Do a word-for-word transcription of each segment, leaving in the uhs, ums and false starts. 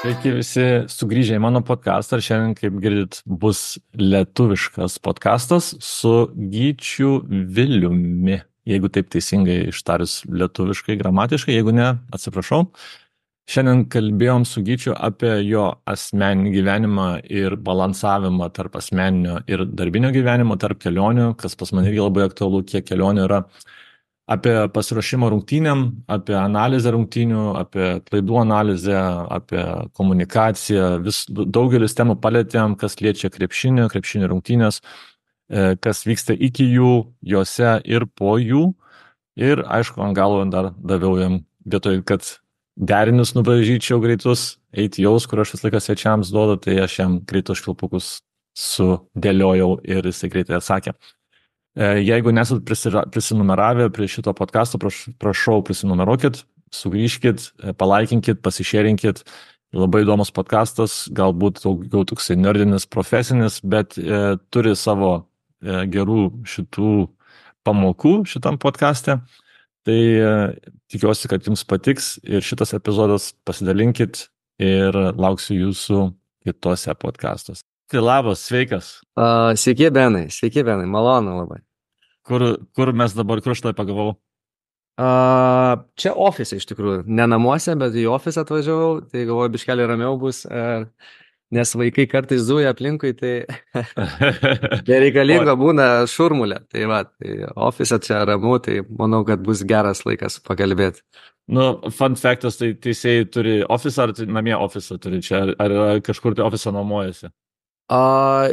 Sveiki visi sugrįžę į mano podcastą ir šiandien, kaip girdit, bus lietuviškas podcastas su Gyčiu Viliumi. Jeigu taip teisingai ištarius lietuviškai, gramatiškai, jeigu ne, atsiprašau. Šiandien kalbėjom su Gyčiu apie jo asmeninį gyvenimą ir balansavimą tarp asmeninio ir darbinio gyvenimo, tarp kelionių, kas pas mane irgi labai aktualu, kiek kelionių yra. Apie pasiruošimą rungtynėm, apie analizę rungtynių, apie klaidų analizę, apie komunikaciją. Vis daugelis temų palėtėm, kas liečia krepšinį, krepšinį rungtynės, kas vyksta iki jų, juose ir po jų. Ir aišku, ant galo dar daviau jam vietoj, kad derinius nubražyčiau greitus, eiti jaus, kur aš vis laiką svečiams duodu, tai aš jam greitus švilpukus sudėliojau ir jisai greitai atsakė. Jeigu nesat prisinumeravę prie šito podcasto, prašau prisinumeruokit, sugrįžkit, palaikinkit, pasišėrinkit. Labai įdomus podcastas, galbūt daugiau toksai nerdinis, profesinis, bet e, turi savo e, gerų šitų pamokų šitam podcaste. Tai e, tikiuosi, kad jums patiks ir šitas epizodas pasidalinkit ir lauksiu jūsų kitose podcastuose. Tai labas, sveikas. Uh, sveiki, Benai, sveiki, Benai, malonu labai. Kur, kur mes dabar, kur aš tai pagavau? Uh, čia ofise iš tikrųjų, ne namuose, bet į ofisą atvažiavau, tai galvoju, biškelį ramiau bus, uh, nes vaikai kartais zuja aplinkui, tai nereikalinga būna šurmulė. Tai va, tai ofise čia ramu, tai manau, kad bus geras laikas pakalbėti. Nu, fun factas, tai teisėjai turi ofisą ar namie ofisą turi čia, ar, ar kažkur tai ofisą nuomojasi? Uh,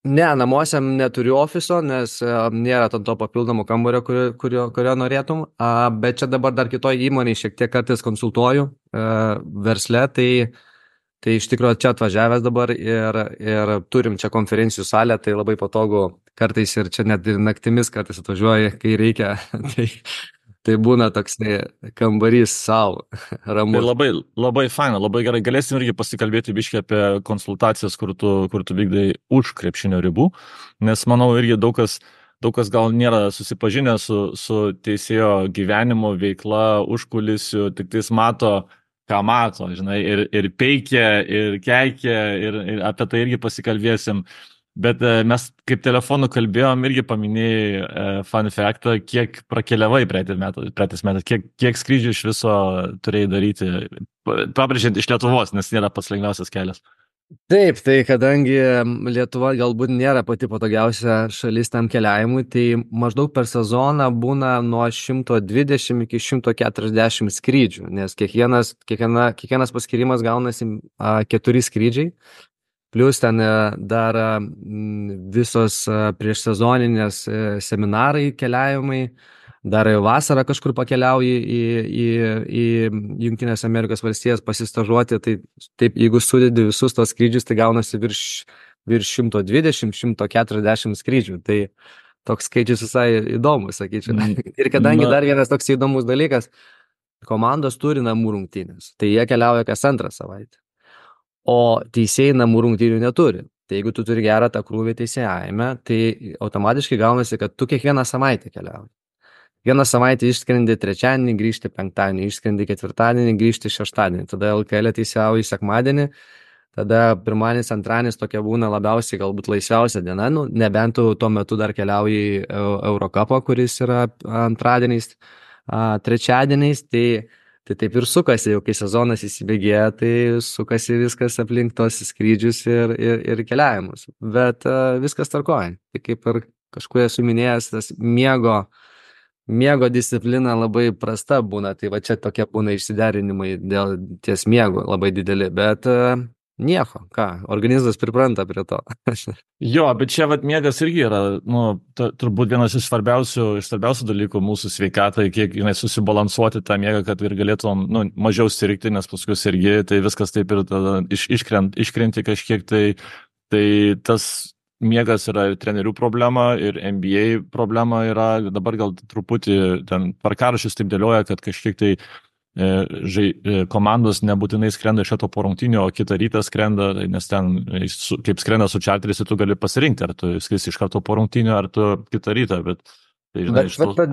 Ne, namuose neturiu ofiso, nes uh, nėra to papildomo kambario, kurio, kurio, kurio norėtum, uh, bet čia dabar dar kitoj įmonėje šiek tiek kartais konsultuoju uh, versle, tai, tai iš tikrųjų čia atvažiavęs dabar ir, ir turim čia konferencijų salę, tai labai patogu kartais ir čia net ir naktimis kartais atvažiuoju, kai reikia, tai, tai būna toks kambarys savo, ramus. Tai labai, labai faina, labai gerai. Galėsim irgi pasikalbėti biškai apie konsultacijas, kur tu, kur tu vykdai už krepšinio ribų, nes manau irgi daug kas, daug kas gal nėra susipažinę su, su teisėjo gyvenimo veikla, užkulisiu, tik tais mato, ką mato, žinai, ir, ir peikia, ir keikia, ir, ir apie tai irgi pasikalbėsim. Bet mes kaip telefonu kalbėjom, irgi paminėjai e, fun factą, kiek prakeliavai praeitais metais, kiek, kiek skrydžių iš viso turėjai daryti, pabrėžiant iš Lietuvos, nes nėra pats lengviausias kelias. Taip, tai kadangi Lietuva galbūt nėra pati patogiausia šalis tam keliavimui, tai maždaug per sezoną būna nuo šimto dvidešimt iki šimto keturiasdešimt skrydžių, nes kiekvienas, kiekviena, kiekvienas paskirimas gaunasi a, keturi skrydžiai. Plius ten dar visos prieš sezoninės seminarai keliavimai, dar vasarą kažkur pakeliauji į, į, į Jungtinės Amerikos valstijas pasistažuoti, tai taip, jeigu sudedi visus tos skrydžius, tai gaunasi virš, virš šimto dvidešimt iki šimto keturiasdešimt skrydžių, tai toks skaičius visai įdomus, sakyčiau. Ir kadangi dar vienas toks įdomus dalykas, komandos turi namų rungtynės, tai jie keliauja kas antrą savaitę. O teisėjai namų rungtynių neturi. Tai jeigu tu turi gerą tą krūvį teisėjavime, tai automatiškai gaunasi, kad tu kiekvieną savaitę keliauji. Vieną savaitę išskrendi trečiadienį, grįžti penktadienį, išskrendi ketvirtadienį, grįžti šeštadienį. Tada L K L teisėjauji sekmadienį, tada pirmadienis, antradienis tokia būna labiausiai galbūt laisviausia diena, nu, nebent tu tuo metu dar keliauji į Eurocupą, kuris yra antradieniais, trečiadieniais, tai Tai taip ir sukasi, jau kai sezonas įsibėgėja, tai sukasi viskas aplink tos skrydžius ir, ir, ir keliavimus. Bet uh, viskas tarkoja. Tai kaip ir kažkur esu minėjęs, tas miego, miego disciplina labai prasta būna. Tai va čia tokie būna išsiderinimai dėl ties miego labai dideli. Bet uh, nieko, ką, organizmas pripranta prie to. Jo, bet čia vat miegas irgi yra, nu, t- turbūt vienas iš svarbiausių, iš svarbiausių dalykų mūsų sveikatai, kiek jinai susibalansuoti tą miegą, kad ir galėtum, nu, mažiau sirgti, nes paskui sirgi, tai viskas taip ir tada iš, iškrent, iškrenti kažkiek, tai, tai tas miegas yra ir trenerių problema, ir N B A problema yra, dabar gal truputį ten tvarkaraščius taip dėlioja, kad kažkiek tai Žai, komandos nebūtinai skrenda iš šito po rungtynių, o kitą rytą skrenda, nes ten, kaip skrenda su čarteris, tu gali pasirinkti, ar tu skrisi iš karto po rungtynių, ar tu kitą rytą, bet Tai žinai, Bet iš va, tų... ta,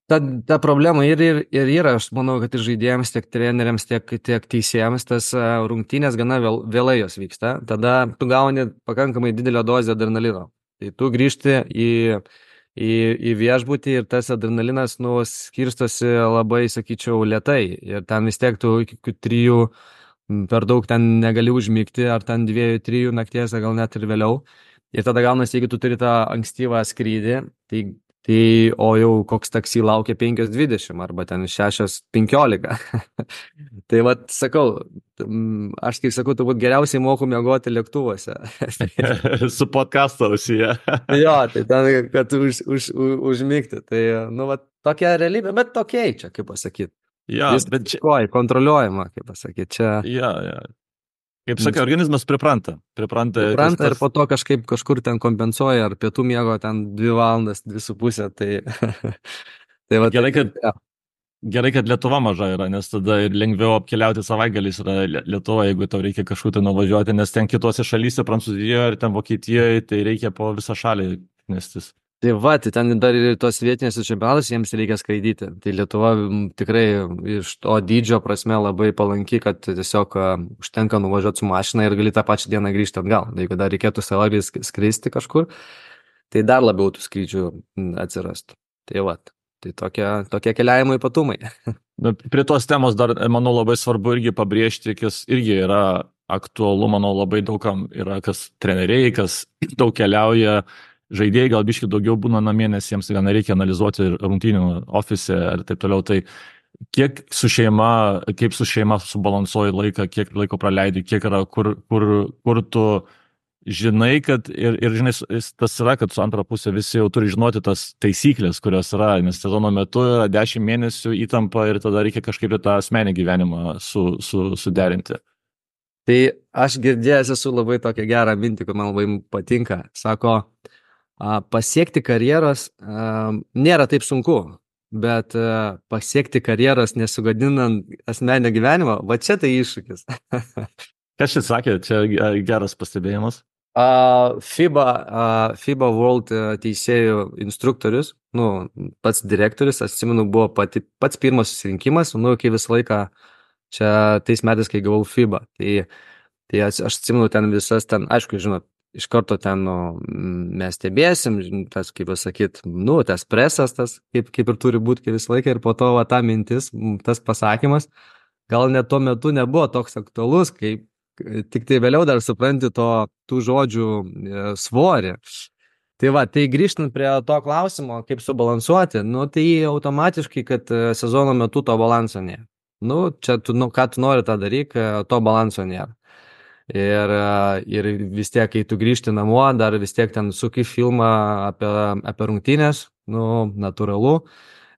ta, ta problema ir, ir, ir yra, aš manau, kad ir žaidėjams, tiek treneriams, tiek, tiek teisėjams tas a, rungtynės gana vėl, vėlai jos vyksta. Tada tu gauni pakankamai didelę dozę adrenalino. Tai tu grįžti į, į, į viešbutį ir tas adrenalinas nu, skirstosi labai, sakyčiau, lietai. Ir ten vis tiek tu iki kokių trijų m, per daug ten negali užmigti, ar ten dviejų, trijų nakties, ar gal net ir vėliau. Ir tada gaunasi, jeigu tu turi tą ankstyvą skrydį, tai Tai, o jau koks taksi laukia penkios dvidešimt arba ten šešios penkiolika. Tai vad, sakau, mm, aš kaip sakau, turbūt geriausiai moku miegoti lėktuvuose. Su podcasto ausyje. Jo, tai ten, kad už, už, už, užmigti. Tai, nu, va, tokia realybė, bet tokia čia, kaip pasakyti. Ja, Viskas bet čia... tvarkoj, kontroliuojama, kaip pasakyti. Čia... Ja, ja. Kaip sakai, organizmas pripranta. Pripranta, Pripranta tas, ir po to kažkaip kažkur ten kompensuoja, ar pietų miego ten dvi valandas, dvi su pusė. Tai, tai va, gerai, kad, ja. gerai, kad Lietuva maža yra, nes tada ir lengviau apkeliauti savaitgaliais yra Lietuva, jeigu tau reikia kažkur tai nuvažiuoti, nes ten kitose šalyse, Prancūzijoje ir ten Vokietijoje, tai reikia po visą šalį nestis. Tai va, tai ten dar ir tos vietinės čempionatus jiems reikia skraidyti. Tai Lietuva m, tikrai iš to dydžio prasme labai palanki, kad tiesiog a, užtenka nuvažiuoti su mašina ir gali tą pačią dieną grįžti atgal. Tai jeigu dar reikėtų savaitgalį sk- skristi kažkur, tai dar labiau tų skrydžių m, atsirastų. Tai va, tai tokie, tokie keliavimo ypatumai. Na, prie tos temos dar, manau, labai svarbu irgi pabrėžti, kas irgi yra aktualu, manau, labai daugam yra, kas treneriai, kas daug keliauja, žaidėjai gal biški daugiau būna namie, nes jiems gal nereikia analizuoti rungtynių ofise ir taip toliau. Tai kiek su šeima, kaip su šeima subalansuoji laiką, kiek laiko praleidi, kiek yra, kur, kur, kur tu žinai, kad ir, ir žinai, tas yra, kad su antra pusė visi jau turi žinoti tas taisyklės, kurios yra, nes sezono metu yra dešimt mėnesių įtampa ir tada reikia kažkaip tą asmenį gyvenimą su, su, suderinti. Tai aš girdėjęs esu labai tokią gerą mintį, kur man labai patinka. Sako, a, pasiekti karjeros a, nėra taip sunku, bet a, pasiekti karjeros nesugadinant asmeninio gyvenimo, va čia tai iššūkis. Kas čia sakė, čia geras pastebėjimas? A, FIBA, a, FIBA World a, teisėjų instruktorius, nu, pats direktorius, atsimenu, buvo pati, pats pirmas susirinkimas, nu, kai visą laiką čia tais metais, kai gavau FIBA. Tai, tai aš, aš atsimenu ten visas, ten, aišku, žinot, iš karto ten nu, mes stebėsim, tas, kaip pasakyt, nu, tas presas, tas, kaip, kaip ir turi būti kaip visą laiką, ir po to va, ta mintis, tas pasakymas, gal net tuo metu nebuvo toks aktualus, kaip tik tai vėliau dar supranti to, tų žodžių e, svorį. Tai va, tai grįžtant prie to klausimo, kaip subalansuoti, nu, tai automatiškai, kad e, sezono metu to balanso nėra. Nu, čia, tu, nu, ką tu nori tą daryk, to balanso nėra. Ir, ir vis tiek, kai tu grįžti namo, dar vis tiek ten suki filmą apie, apie rungtynės, nu, natūralu.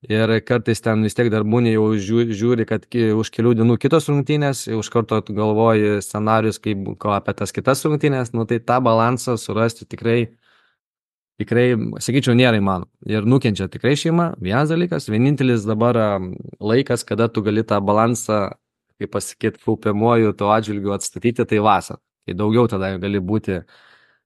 Ir kartais ten vis tiek dar būni jau žiūri, kad už kelių dienų kitos rungtynės, už karto galvoji scenarius, kaip ko apie tas kitas rungtynės, nu, tai tą balansą surasti tikrai, tikrai, sakyčiau, nėra įmanoma. Ir nukenčia tikrai šeima, vienas dalykas, vienintelis dabar laikas, kada tu gali tą balansą, kaip pasakyti, kaupiamuoju to atžvilgiu atstatyti, tai vasarą. Tai daugiau tada gali būti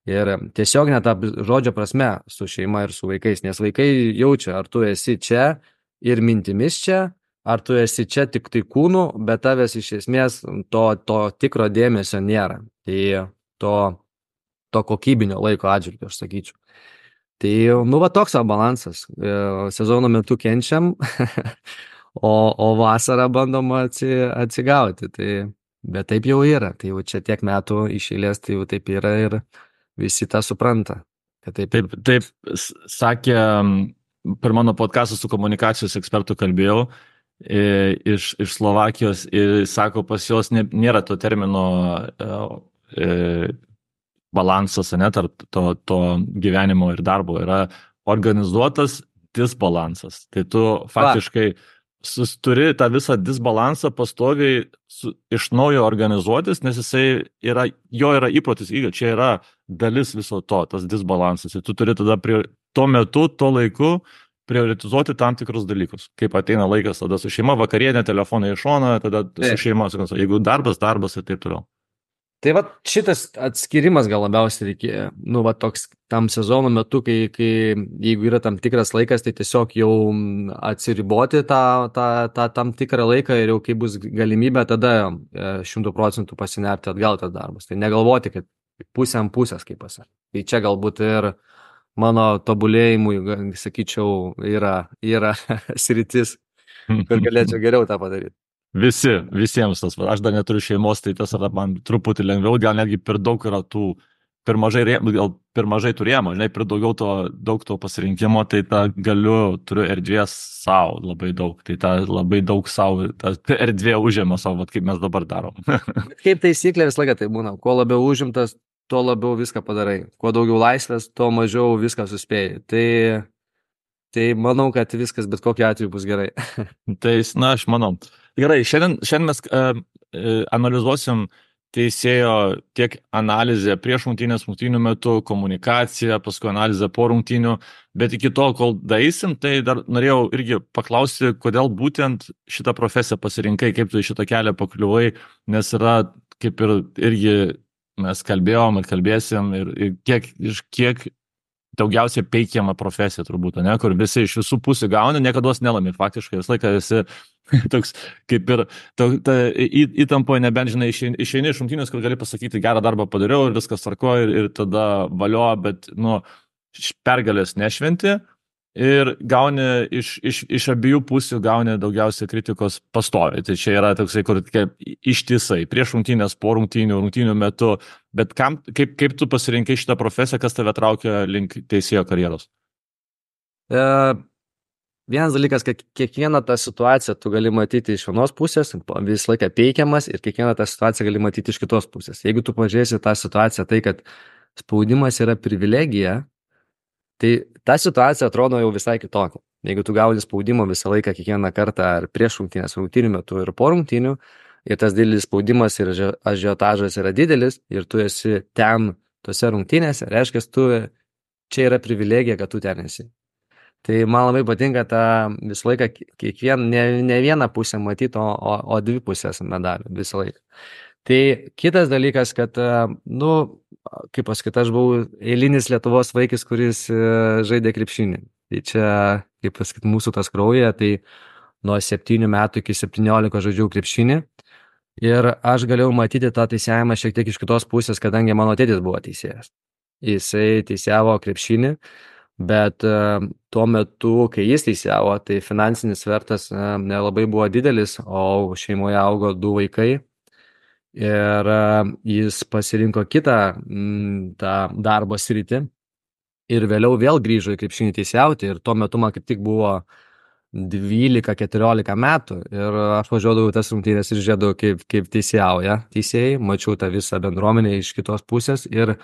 ir tiesiog net tą žodžio prasme su šeima ir su vaikais, nes vaikai jaučia, ar tu esi čia ir mintimis čia, ar tu esi čia tik tai kūnu, bet tavęs iš esmės to, to tikro dėmesio nėra. Tai to, to kokybinio laiko atžvilgiu, aš sakyčiau. Tai, nu, va toks balansas. Sezono metu kenčiam, o, o vasarą bandom atsi, atsigauti. Tai, bet taip jau yra. Tai jau čia tiek metų iš eilės, tai jau taip yra ir visi tą supranta. Taip, taip, taip sakė, per mano podcastą su komunikacijos ekspertu kalbėjau iš, iš Slovakijos ir sako, pas jos nėra to termino e, balansas, ne, tarp to, to gyvenimo ir darbo, yra organizuotas disbalansas. Tai tu faktiškai sus, turi tą visą disbalansą pastoviai su, iš naujo organizuotis, nes jisai yra, jo yra įprotis, čia yra dalis viso to, tas disbalansas. Ir tu turi tada prie, tuo metu, tuo laiku prioritizuoti tam tikrus dalykus. Kaip ateina laikas tada su šeima, vakarienė, telefonai iš šono, tada su šeima, jeigu darbas, darbas ir taip toliau. Tai va šitas atskirimas gal labiausiai reikia, nu va toks tam sezono metu, kai, kai jeigu yra tam tikras laikas, tai tiesiog jau mm, atsiriboti tą, tą, tą tam tikrą laiką ir jau kai bus galimybė, tada e, šimtų procentų pasinerti atgal tas darbas. Tai negalvoti, kad pusė ant pusės, kaip pasakė. Tai čia galbūt ir mano tobulėjimui, ga- sakyčiau, yra, yra sritis, kur galėčiau geriau tą padaryti. Visi, visiems tas. va, Aš dar neturiu šeimos, tai tas yra man truputį lengviau, gal netgi per daug yra tų, per mažai, rėmų, gal per mažai turėjimo, žinai, per daugiau to, daug to pasirinkimo, tai tą galiu, turiu erdvės savo labai daug, tai tą labai daug savo, tą erdvė užėmė savo, vat kaip mes dabar darom. Bet kaip taisyklė visą laiką tai būna, kuo labiau užimtas, tuo labiau viską padarai. Kuo daugiau laisvės, tuo mažiau viską suspėjai. Tai, tai manau, kad viskas bet kokiu atveju bus gerai. Tai, na, aš manau. Gerai, šiandien, šiandien mes uh, analizuosim teisėjo tiek analizę prieš rungtynės, rungtynių metu, komunikaciją, paskui analizę po rungtynių, bet iki to, kol daeisim, tai dar norėjau irgi paklausti, kodėl būtent šitą profesiją pasirinkai, kaip tu į šitą kelią pakliuvai, nes yra kaip ir irgi mes kalbėjom ir kalbėsim ir, ir kiek, iš kiek daugiausiai peikiama profesija turbūt, ne, kur visi iš visų pusių gauna, niekada nelami, faktiškai visą laiką esi toks kaip ir ta, ta, į, įtampoje, nebent žinai, išeini, išeini iš rungtynės, kur gali pasakyti, gerą darbą padariau ir viskas tvarko ir, ir tada valio, bet, nu, pergalės nešventi ir gauni iš, iš, iš abiejų pusių gauni daugiausiai kritikos pastoviai. Tai čia yra toksai, kur kaip ištisai, prieš rungtynės, po rungtynių, rungtynių metu, bet kam, kaip, kaip tu pasirinkai šitą profesiją, kas tave traukia link teisėjo karjeros? E, vienas dalykas, kad kiekvieną tą situaciją tu gali matyti iš vienos pusės, visą laiką peikiamas ir kiekvieną tą situaciją gali matyti iš kitos pusės. Jeigu tu pažiūrėsi tą situaciją, tai kad spaudimas yra privilegija, tai ta situacija atrodo jau visai kitokia. Jeigu tu gauni spaudimą visą laiką, kiekvieną kartą, ar prieš rungtynės, rungtynių metu ir po rungtynių, ir tas didelis spaudimas ir ažiotažas yra didelis, ir tu esi ten, tose rungtynėse, reiškia, tu čia yra privilegija, kad tu ten esi. Tai man labai patinka tą visą laiką, kiekvien, ne, ne vieną pusę matyti, o, o, o dvi pusės medalių visą laiką. Tai kitas dalykas, kad, nu, kaip pasakyti, aš buvau eilinis Lietuvos vaikis, kuris žaidė krepšinį. Tai čia, kaip pasakyti, mūsų tas krauja, tai nuo septynių metų iki septyniolikos žaidžiau krepšinį. Ir aš galėjau matyti tą teisėjimą šiek tiek iš kitos pusės, kadangi mano tėtis buvo teisėjas. Jisai teisėjavo krepšinį, bet tuo metu, kai jis teisėjavo, tai finansinis svertas nelabai buvo didelis, o šeimoje augo du vaikai. Ir jis pasirinko kitą m, tą darbo sritį ir vėliau vėl grįžo į krepšinį teisėjauti ir tuo metu man kaip tik buvo dvylika keturiolika metų ir aš važiuodavau tas rungtynės ir žiūrėdavau, kaip, kaip teisėjauja teisėjai, mačiau tą visą bendruomenę iš kitos pusės ir,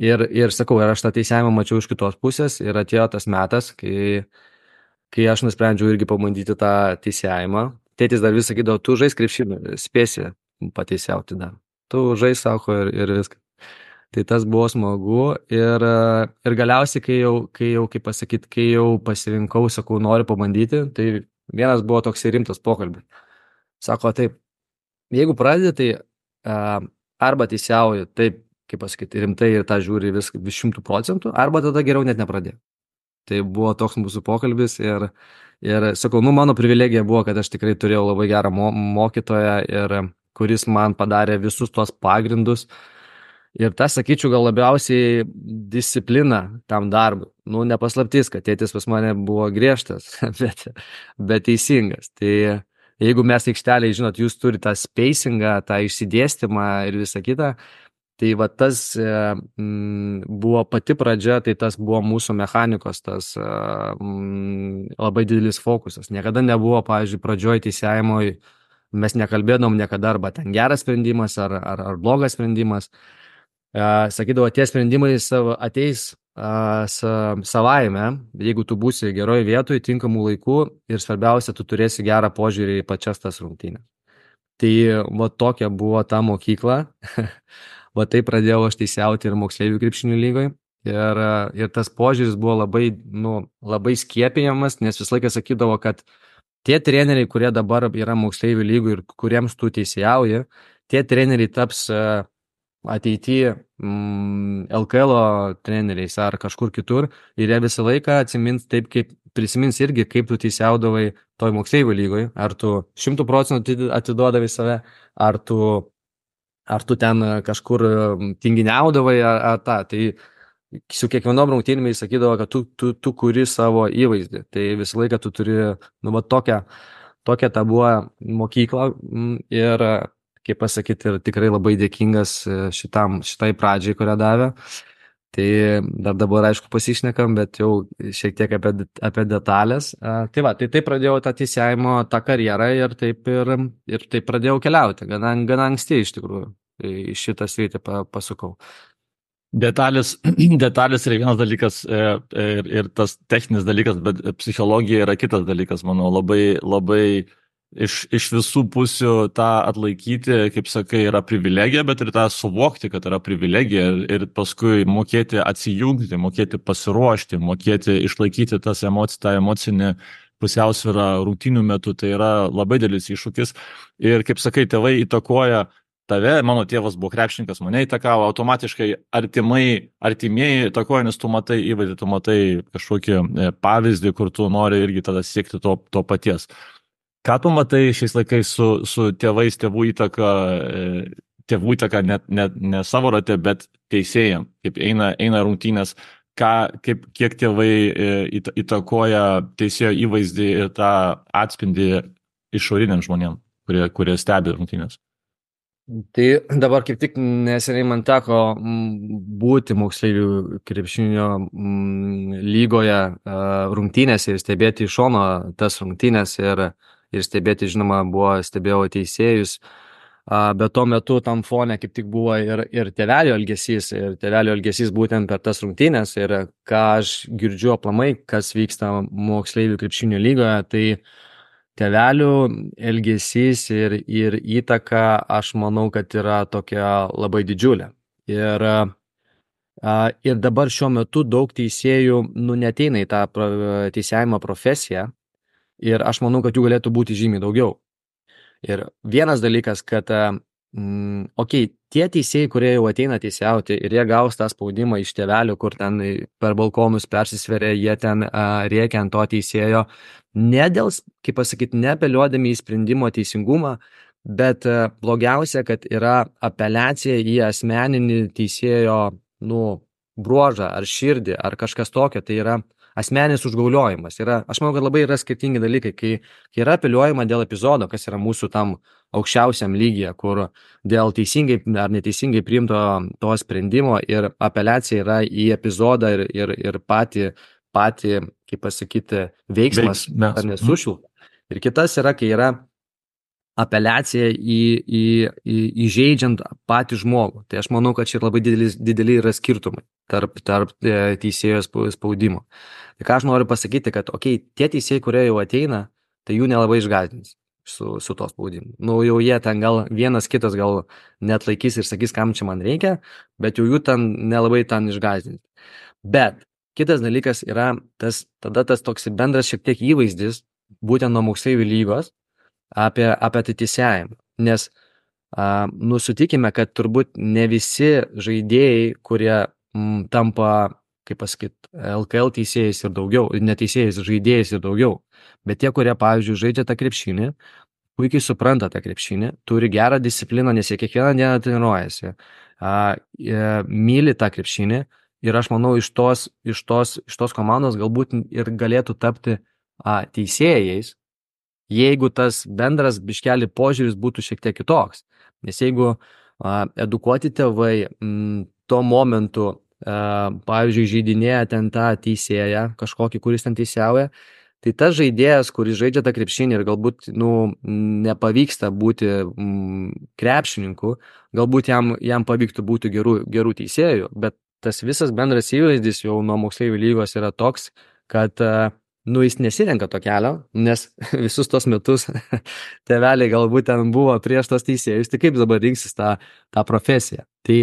ir, ir sakau, ir aš tą teisėjimą mačiau iš kitos pusės ir atėjo tas metas, kai, kai aš nusprendžiau irgi pabandyti tą teisėjimą. Tėtis dar vis sakydavo, tu žais krepšinį, spėsi pateisiauti dar. Tu žais, sako, ir, ir viskas. Tai tas buvo smagu ir, ir galiausiai, kai jau, kai jau, kaip pasakyti, kai jau pasirinkau, sakau, noriu pabandyti, tai vienas buvo toks rimtas pokalbis. Sako, taip, jeigu pradedi, tai uh, arba teisiauji, taip, kaip pasakyti, rimtai ir tą žiūri vis, vis šimtų procentų, arba tada geriau net nepradėti. Tai buvo toks mūsų pokalbis ir, ir sakau, nu, mano privilegija buvo, kad aš tikrai turėjau labai gerą mo mokytoją ir kuris man padarė visus tuos pagrindus. Ir tas, sakyčiau, gal labiausiai disciplina tam darbui. Nu, nepaslaptis, kad tėtis pas mane buvo griežtas, bet, bet teisingas. Tai jeigu mes aikšteliai, žinot, jūs turite tą spacingą, tą išsidėstymą ir visą kitą, tai va tas mm, buvo pati pradžia, tai tas buvo mūsų mechanikos, tas mm, labai didelis fokusas. Niekada nebuvo, pavyzdžiui, pradžioj teisėjimoj, mes nekalbėdom niekada arba ten geras sprendimas ar, ar, ar blogas sprendimas. Sakydavo, tie sprendimai savo ateis a, sa, savaime, jeigu tu būsi geroj vietoj, tinkamų laikų ir svarbiausia, tu turėsi gerą požiūrį į pačias tas rungtynės. Tai va tokia buvo ta mokykla, va tai pradėjau aš teisėjauti ir moksleivių krepšinio lygoje. Ir, ir tas požiūris buvo labai, nu, labai skiepijamas, nes visą laiką sakydavo, kad tie treneriai, kurie dabar yra moksleivių lygų ir kuriems tu teisėjauji, tie treneriai taps ateityje mm, L K L treneriais ar kažkur kitur ir jie visą laiką atsimins taip, kaip prisimins irgi, kaip tu teisiaudavai toj moksleivių lygoj, ar tu šimtų procentų atiduodavai save, ar tu, ar tu ten kažkur tinginiaudavai, ar, ar tą. Tai su kiekvienom rungtynėmis sakydavo, kad tu, tu, tu kuri savo įvaizdį. Tai visą laiką tu turi, nu, va, tokią, tokią tą buvo mokyklą ir, kaip pasakyti, ir tikrai labai dėkingas šitam, šitai pradžiai, kurią davė. Tai dar dabar, aišku, pasišnekam, bet jau šiek tiek apie, apie detalės. Tai va, tai taip pradėjau tą teisėjimo, tą karjerą ir taip, ir, ir taip pradėjau keliauti, gana, gana anksti iš tikrųjų. Į šitą sritį pasukau. Detalės, detalės yra vienas dalykas ir, ir tas techninis dalykas, bet psichologija yra kitas dalykas, manau, labai, labai iš, iš visų pusių tą atlaikyti, kaip sakai, yra privilegija, bet ir tą suvokti, kad yra privilegija ir paskui mokėti atsijungti, mokėti pasiruošti, mokėti išlaikyti tas emoci, tą emocinį pusiausvyrą rungtynių metu, tai yra labai didelis iššūkis. Ir kaip sakai, tėvai įtakoja tave, mano tėvas buvo krepšininkas, mane įtakavo, automatiškai artimai, artimieji įtakoja, nes tu matai įvaizdį, tu matai kažkokį pavyzdį, kur tu nori irgi tada siekti to, to paties. Ką tu matai šiais laikais su, su tėvais, tėvų įtaka, tėvų įtaka net ne, ne savo rate, bet teisėjam, kaip eina, eina rungtynės, ką, kaip, kiek tėvai įtakoja teisėjo įvaizdį ir tą atspindį išoriniam žmonėm, kurie, kurie stebi rungtynės. Tai dabar kaip tik neseniai man teko būti moksleivių krepšinio lygoje rungtynėse ir stebėti iš šono tas rungtynės ir, ir stebėti, žinoma, buvo stebėjau teisėjus, bet tuo metu tam fone kaip tik buvo ir, ir tėvelio elgesys, ir tėvelio elgesys būtent per tas rungtynės ir ką aš girdžiu aplamai, kas vyksta moksleivių krepšinio lygoje, tai tėvelių elgesys ir, ir įtaka, aš manau, kad yra tokia labai didžiulė. Ir, ir dabar šiuo metu daug teisėjų nu, neteina į tą teisėjimo profesiją ir aš manau, kad jų galėtų būti žymiai daugiau. Ir vienas dalykas, kad, mm, okei, okay, tie teisėjai, kurie jau ateina teisėjauti ir jie gaus tą spaudimą iš tėvelių, kur ten per balkonus persisveria, jie ten a, rėkia ant to teisėjo, ne dėl, kaip pasakyti, neapeliuodami į sprendimo teisingumą, bet blogiausia, kad yra apeliacija į asmeninį teisėjo nu, bruožą ar širdį ar kažkas tokio, tai yra asmeninis užgauliojimas. Yra, aš manau, kad labai yra skirtingi dalykai, kai, kai yra apeliuojama dėl epizodo, kas yra mūsų tam aukščiausiam lygyje, kur dėl teisingai ar neteisingai priimto to sprendimo ir apeliacija yra į epizodą ir, ir, ir patį patį, kaip pasakyti, veiksmas ar nesušilta. Ir kitas yra, kai yra apeliacija į, į, į, įžeidžiant patį žmogų. Tai aš manau, kad čia labai dideli, dideli yra skirtumai tarp, tarp teisėjo spaudimo. Tai ką aš noriu pasakyti, kad okei, tie teisėjai, kurie jau ateina, tai jų nelabai išgąsdins su, su to spaudimu. Nu, jau jie ten gal vienas kitas gal net laikys ir sakys, kam čia man reikia, bet jau jų ten nelabai ten išgąsdins. Bet kitas dalykas yra tas, tada tas toks bendras šiek tiek įvaizdis, būtent nuo moksleivių lygos, apie, apie tai teisėjimą. Nes, a, nu, sutikime, kad turbūt ne visi žaidėjai, kurie m, tampa, kaip pasakyti, L K L teisėjais ir daugiau, neteisėjais, žaidėjais ir daugiau, bet tie, kurie, pavyzdžiui, žaidžia tą krepšinį, puikiai supranta tą krepšinį, turi gerą discipliną, nes jie kiekvieną dieną treniruojasi, a, e, myli tą krepšinį. Ir aš manau, iš tos, iš tos, iš tos komandos galbūt ir galėtų tapti a, teisėjais, jeigu tas bendras biškelį požiūris būtų šiek tiek kitoks. Nes jeigu a, edukuoti tėvai m, tuo momentu, a, pavyzdžiui, žaidinėja ten tą teisėją, kažkokį, kuris ten teisėjauja, tai tas žaidėjas, kuris žaidžia tą krepšinį ir galbūt nu, nepavyksta būti m, krepšininku, galbūt jam, jam pavyktų būti gerų, gerų teisėjų, bet tas visas bendras įvaizdis jau nuo moksleivių lygos yra toks, kad nu, jis nesirenka to kelio, nes visus tos metus tėveliai galbūt ten buvo prieš tos teisėjus, tai kaip dabar rinksis tą, tą profesiją. Tai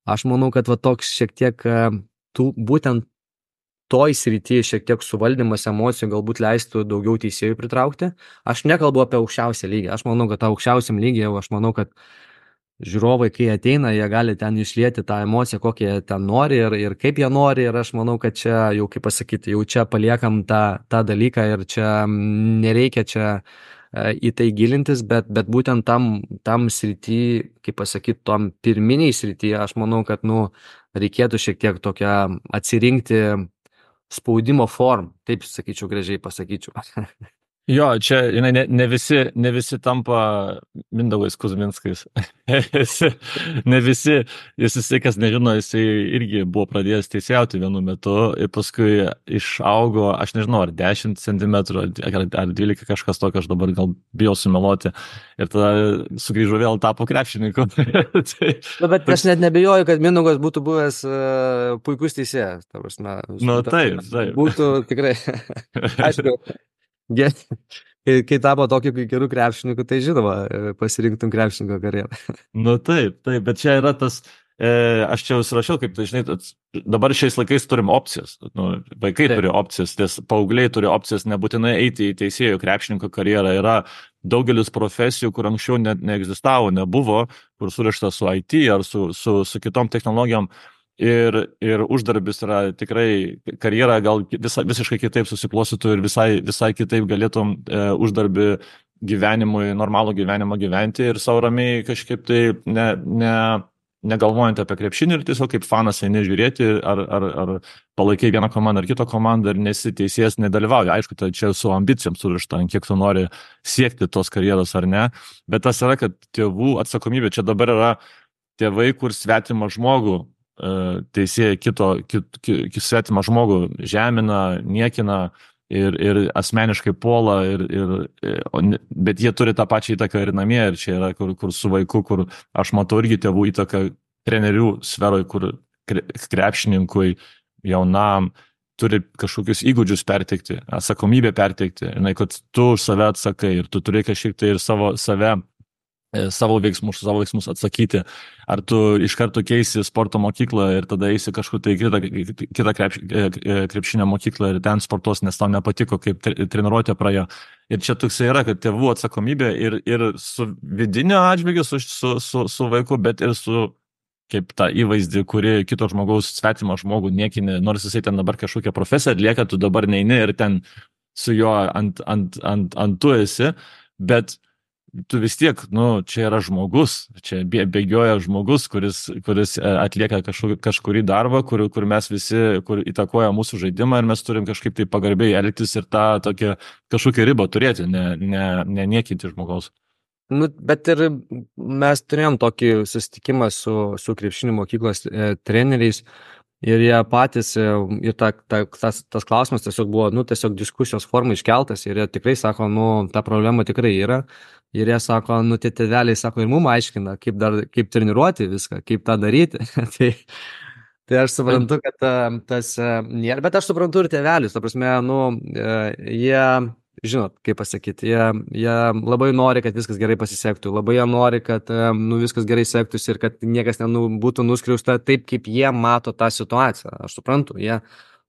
aš manau, kad va toks šiek tiek tų, būtent toj srity šiek tiek suvaldymas emocijų galbūt leistų daugiau teisėjų pritraukti. Aš nekalbu apie aukščiausią lygį, aš manau, kad tą aukščiausiam lygį jau aš manau, kad žiūrovai, kai ateina, jie gali ten išlieti tą emociją, kokią jie ten nori ir, ir kaip jie nori. Ir aš manau, kad čia jau, kaip pasakyti, jau čia paliekam tą, tą dalyką ir čia nereikia čia e, į tai gilintis, bet, bet būtent tam, tam srity, kaip pasakyti, tom pirminiai srity, aš manau, kad, nu, reikėtų šiek tiek tokią atsirinkti spaudimo formą. Taip, sakyčiau, gražiai pasakyčiau. Jo, čia žinai, ne, ne, visi, ne visi tampa Mindaugais Kuzminskais. Ne visi, jis jisai, kas nežino, jisai irgi buvo pradėjęs teisėjauti vienu metu ir paskui išaugo, aš nežinau, ar dešimt centimetrų, ar, ar dvylika kažkas tokio, aš dabar gal bijau sumeluoti. Ir tada sugrįžo vėl tapo krepšininku. Tai, nu, bet aš net nebejoju, kad Mindaugas būtų buvęs uh, puikus teisėjas. Nu, taip, taip. Būtų tikrai, aišku. Ge- Kai, kai tapo tokiu gerų krepšininkų, tai žinoma, pasirinktum krepšininko karjerą. Nu taip, taip, bet čia yra tas, e, aš čia užsirašiau, kaip tai žinai, tas- dabar šiais laikais turim opcijas, nu, vaikai Taip. turi opcijas, ties paaugliai turi opcijas, nebūtinai eiti į teisėjų krepšininko karjerą, yra daugelis profesijų, kur anksčiau net neegzistavo, nebuvo, kur surišta su I T ar su, su, su kitom technologijom. Ir, ir uždarbis yra tikrai, karjera gal visa, visiškai kitaip susiklostytų ir visai, visai kitaip galėtum e, uždarbį gyvenimui, normalų gyvenimą gyventi ir savo ramiai kažkaip tai ne, ne, negalvojant apie krepšinį ir tiesiog kaip fanas eini žiūrėti, ar, ar, ar palaikai vieną komandą ar kitą komandą ir nesi teisėjas, nedalyvauja. Aišku, tai čia su ambicijom surišta, kiek tu nori siekti tos karjeros ar ne, bet tas yra, kad tėvų atsakomybė, čia dabar yra tėvai, kur svetimą žmogų teisėjai kito, kit, kit, svetimą žmogų žemina, niekina ir, ir asmeniškai puola, ir, ir, bet jie turi tą pačią įtaką ir namie, ir čia yra kur, kur su vaiku, kur aš matau irgi tėvų įtaką trenerių sferoj, kur krepšininkui jaunam turi kažkokius įgūdžius perteikti, atsakomybę perteikti, žinai, kad tu už save atsakai ir tu turi kažkiek tai ir savo save savo veiksmus, savo veiksmus atsakyti. Ar tu iš karto keisi sporto mokyklą ir tada eisi kažkur tai kitą, kitą krepš, krepšinio mokyklą ir ten sportuos, nes tau nepatiko, kaip treniruotė praėjo. Ir čia toksai yra, kad tėvų atsakomybė ir, ir su vidinio atžvilgiu, su, su, su, su vaiku, bet ir su kaip tą įvaizdį, kuri kito žmogaus svetimą žmogų niekinė, nors jisai ten dabar kažkokią profesiją atlieka, tu dabar neini ir ten su juo ant, ant, ant, ant tu esi, bet tu vis tiek, nu, čia yra žmogus, čia bėgioja žmogus, kuris, kuris atlieka kažkur, kažkurį darbą, kur, kur mes visi, kur įtakoja mūsų žaidimą ir mes turim kažkaip tai pagarbiai elgtis ir tą tokią kažkokią ribą turėti, ne, ne, ne niekinti žmogaus. Nu, bet ir mes turėjom tokį susitikimą su, su krepšinio mokyklos e, treneriais ir jie patys, e, ir ta, ta, tas, tas klausimas tiesiog buvo, nu, tiesiog diskusijos formai iškeltas ir jie tikrai sako, nu, ta problema tikrai yra. Ir jie sako, nu, tie tėveliai sako, ir mum aiškina, kaip, dar, kaip treniruoti viską, kaip tą daryti. tai, tai aš suprantu, kad tas nėra, bet aš suprantu ir tėvelius, ta prasme, nu, jie, žinot, kaip pasakyti, jie, jie labai nori, kad viskas gerai pasisektų, labai jie nori, kad, nu, viskas gerai sektųsi ir kad niekas nu, būtų nuskriausta taip, kaip jie mato tą situaciją. Aš suprantu, jie.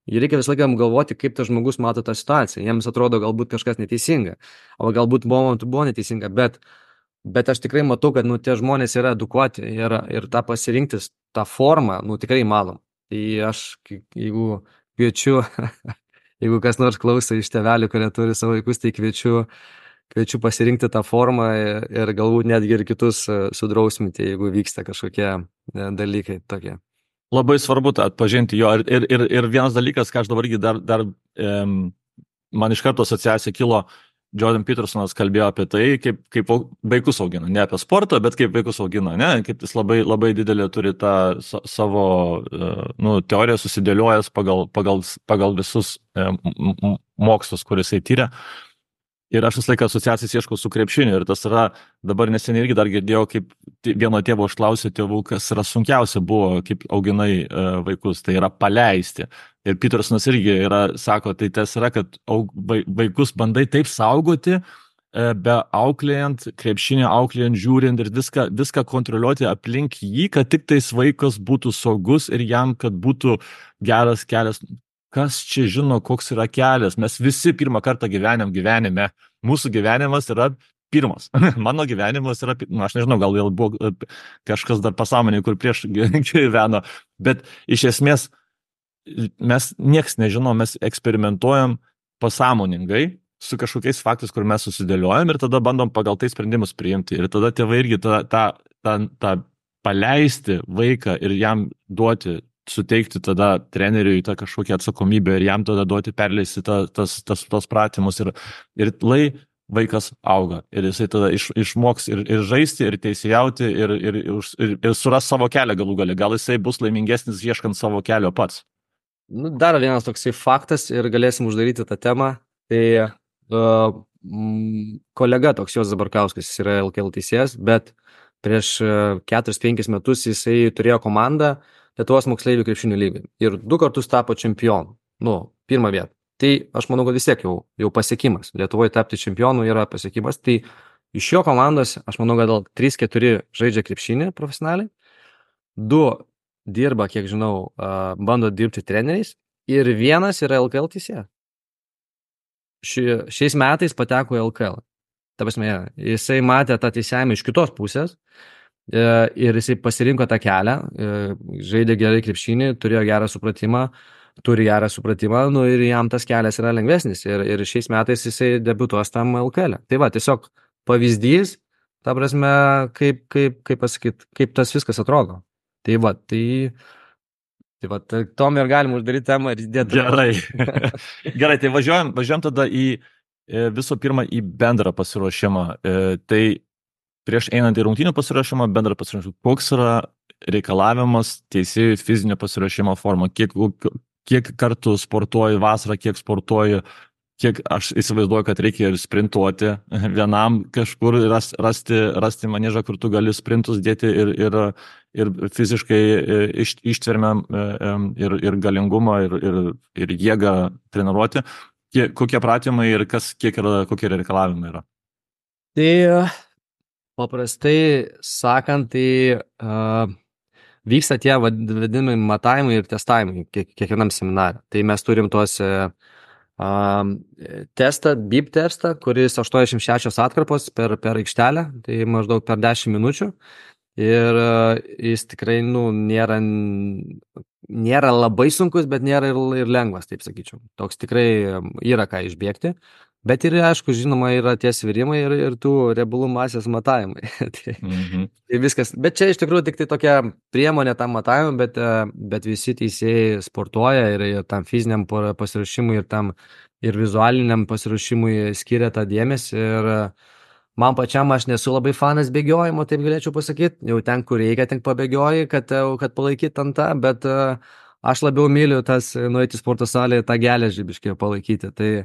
Ir reikia visą laiką galvoti, kaip tas žmogus mato tą situaciją. Jiems atrodo galbūt kažkas neteisinga, o galbūt buvo, buvo neteisinga, bet, bet aš tikrai matau, kad nu, tie žmonės yra edukuoti ir, ir tą pasirinktis, tą formą, nu, tikrai įmanom. Tai aš, jeigu kviečiu, jeigu kas nors klauso iš tėvelių, kurie turi savo vaikus, tai kviečiu, kviečiu pasirinkti tą formą ir, ir galbūt netgi ir kitus sudrausminti, jeigu vyksta kažkokie dalykai tokie. Labai svarbu tą atpažinti jo ir, ir, ir vienas dalykas, ką aš dabar irgi dar, dar um, man iš karto asociacija kilo, Jordan Petersonas kalbėjo apie tai, kaip, kaip vaikus augina, ne apie sportą, bet kaip vaikus augina, ne, kaip jis labai, labai didelį turi tą savo uh, nu, teoriją susidėliojęs pagal, pagal, pagal visus um, mokslus, kuris jisai tyrė. Ir aš visą laiką asociacijas ieškau su krepšiniu ir tas yra, dabar neseniai irgi dar girdėjau, kaip vieno tėvo užklausė tėvų, kas yra sunkiausia buvo, kaip auginai uh, vaikus, tai yra paleisti. Ir Petersonas irgi yra, sako, tai tas yra, kad aug, vaikus bandai taip saugoti, uh, be auklėjant, krepšinį auklėjant, žiūrint ir viską, viską kontroliuoti aplink jį, kad tik tais vaikas būtų saugus ir jam, kad būtų geras kelias. Kas čia žino, koks yra kelias? Mes visi pirmą kartą gyvenam gyvenime. Mūsų gyvenimas yra pirmas. Mano gyvenimas yra, nu, aš nežinau, gal vėl buvo kažkas dar pasąmonėje, kur prieš gyveno, bet iš esmės mes nieks nežinom, mes eksperimentuojam pasąmoningai su kažkokiais faktais, kur mes susidėliojam ir tada bandom pagal tai sprendimus priimti. Ir tada tėvai irgi tą, tą, tą, tą paleisti vaiką ir jam duoti, suteikti tada treneriui tą kažkokią atsakomybę ir jam tada duoti perleisti ta, tas, tas, tos pratimus ir, ir lai vaikas auga ir jisai tada iš, išmoks ir, ir žaisti, ir teisėjauti, ir, ir, ir, ir suras savo kelią galų gale. Gal jisai bus laimingesnis ieškant savo kelio pats. Nu, dar vienas toksai faktas ir galėsim uždaryti tą temą. Tai uh, m, kolega toks Juozas Barkauskas, jis yra L K L teisėjas, bet prieš keturis penkis metus jisai turėjo komandą Lietuvos moksleivių krepšinio lygai ir du kartus tapo čempionu, nu, pirmą vietą. Tai aš manau, kad vis tiek jau, jau pasiekimas. Lietuvoje tapti čempionu yra pasiekimas. Tai iš jo komandos, aš manau, kad gal trys keturi žaidžia krepšinį profesionaliai, du dirba, kiek žinau, bando dirbti treneriais ir vienas yra L K L teisėjas. Ši, šiais metais pateko į L K L. Ta prasme, jisai matė tą teisėjimą iš kitos pusės ir jisai pasirinko tą kelią, žaidė gerai krepšinį, turėjo gerą supratimą, turi gerą supratimą, nu ir jam tas kelias yra lengvesnis ir, ir šiais metais jisai debiutuos tam L K L. Tai va, tiesiog pavyzdys, ta prasme, kaip, kaip, kaip pasakyt, kaip tas viskas atrodo. Tai va, tai, tai va, tai tom ir galim uždaryti temą ir įdėti. Gerai. Gerai, tai važiuojam, važiuojam tada į visų pirma į bendrą pasiruošimą. Tai prieš einant į rungtynių pasiruošimą, bendrą pasiruošimą, koks yra reikalavimas teisėjų fizinio pasiruošimo forma, kiek, kiek kartų sportuoji vasarą, kiek sportuoji, kiek aš įsivaizduoju, kad reikia ir sprintuoti vienam kažkur, rasti, rasti maniežą, kur tu gali sprintus dėti ir, ir, ir fiziškai iš, ištvermę ir, ir galingumą ir, ir, ir jėgą treniruoti. Kiek, kokie pratimai ir kas, kiek yra, kokie reikalavimai yra? Tai paprastai sakant, tai uh, vyksta tie vadinami matavimai ir testavimai kiek, kiekvienam seminare. Tai mes turim tuos uh, testą, B I P testą, kuris aštuoniasdešimt šešios atkarpos per, per aikštelę, tai maždaug per dešimt minučių. Ir uh, jis tikrai nu, nėra, nėra labai sunkus, bet nėra ir, ir lengvas, taip sakyčiau. Toks tikrai yra ką išbėgti. Bet ir, aišku, žinoma, yra tie svirimai ir, ir tų riebalų masės matavimai. tai, mm-hmm. tai viskas. Bet čia iš tikrųjų tik tai tokia priemonė tam matavimui, bet, bet visi teisėjai sportuoja ir, ir tam fiziniam pasiruošimui ir tam ir vizualiniam pasiruošimui skiria tą dėmesį. Ir man pačiam aš nesu labai fanas bėgiojimo, taip galėčiau pasakyti. Jau ten, kur reikia, ten pabėgioji, kad, kad palaikyt ant tą, bet aš labiau myliu tas nueiti į sporto salę, tą geležį biškai palaikyti. Tai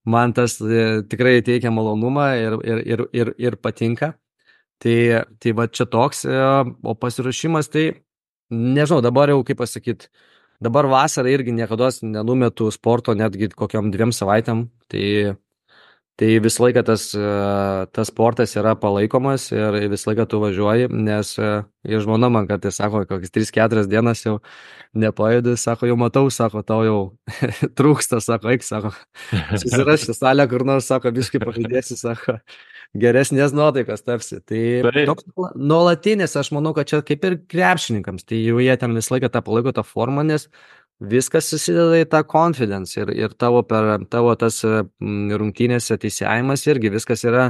man tas e, tikrai teikia malonumą ir, ir, ir, ir, ir patinka. Tai, tai va čia toks, e, o pasiruošimas tai, nežinau, dabar jau kaip pasakyti, dabar vasarą irgi niekada nenumetu sporto netgi kokiam dviem savaitėm. Tai, tai visą laiką tas, e, tas sportas yra palaikomas ir visą laiką tu važiuoji, nes e, žmona man kartais sako, kokias tris keturias dienas jau nepaėdu, sako, jau matau, sako, tau jau trūksta, sako, eik, sako, susirašti salę, kur nors, sako, biškai pažaidėsi, sako, geresnės nuotaikos tapsi. Tai toks nuolatinis, aš manau, kad čia kaip ir krepšininkams, tai jau jie ten visą laiką tą palaiko tą formą, nes viskas susideda į tą confidence ir, ir tavo, per, tavo tas rungtynėse teisėjimas irgi viskas yra,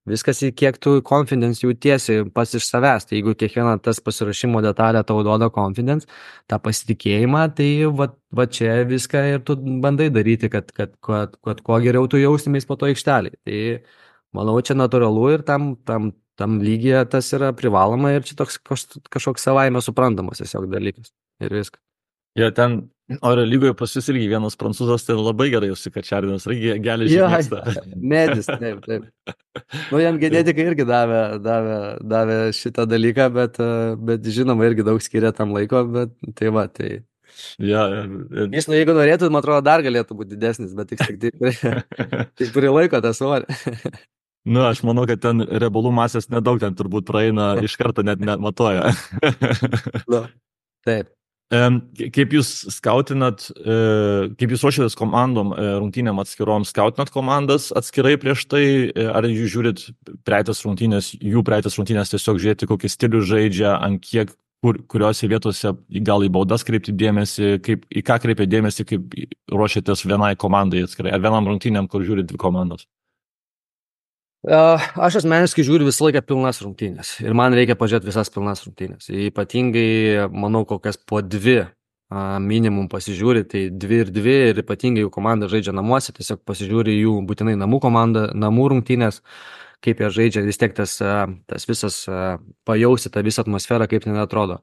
viskas į kiek tu confidence jautiesi pas iš savęs. Tai jeigu kiekviena tas pasirašymo detalė tau duoda confidence, tą pasitikėjimą, tai va, va čia viską ir tu bandai daryti, kad, kad, kad, kad kuo geriau tu jaustumės po to aikštelį. Tai manau, čia natūralu ir tam, tam, tam lygyje tas yra privaloma ir čia toks kažkoks savaime suprantamas tiesiog dalykas ir viskas. Jo, ten oro lygoje pas jūs irgi vienas prancūzas, tai labai gerai užsikačiardinas, irgi geležį mėgsta. Medis, taip, taip. Nu, jam genetikai irgi davė, davė, davė šitą dalyką, bet, bet žinoma, irgi daug skiria tam laiko, bet tai va, tai... Ja, ja. Jis, nu, jeigu norėtų, man atrodo, dar galėtų būti didesnis, bet tik tik tai turi laiko tą svorį. Nu, aš manau, kad ten riebalų masės nedaug ten turbūt praeina, iš karto net net matuoja. Nu, taip. Em, Kaip jūs skautinat, e, kaip jūs ruošiatės komandom, e, rungtynėm atskirom, skautinat komandas atskirai prieš tai, e, ar jūs žiūrit praeitas rungtynės, jų praeitas rungtynės tiesiog žiūrėti, kokį stilių žaidžia, ant kiek, kur, kuriuose vietose gal į baudas kreipti dėmesį, kaip, į ką kreipia dėmesį, kaip ruošiatės vienai komandai atskirai, ar vienam rungtynėm, kur žiūrit dvi komandos? Aš asmeniškai žiūriu visą laiką pilnas rungtynės ir man reikia pažiūrėti visas pilnas rungtynės. Ypatingai, manau, kokias po dvi a, minimum pasižiūri, tai dvi ir dvi ir ypatingai jų komanda žaidžia namuose, tiesiog pasižiūri jų būtinai namų komandą, namų rungtynės, kaip jie žaidžia, vis tiek tas, a, tas visas a, pajausi tą visą atmosferą, kaip ten atrodo.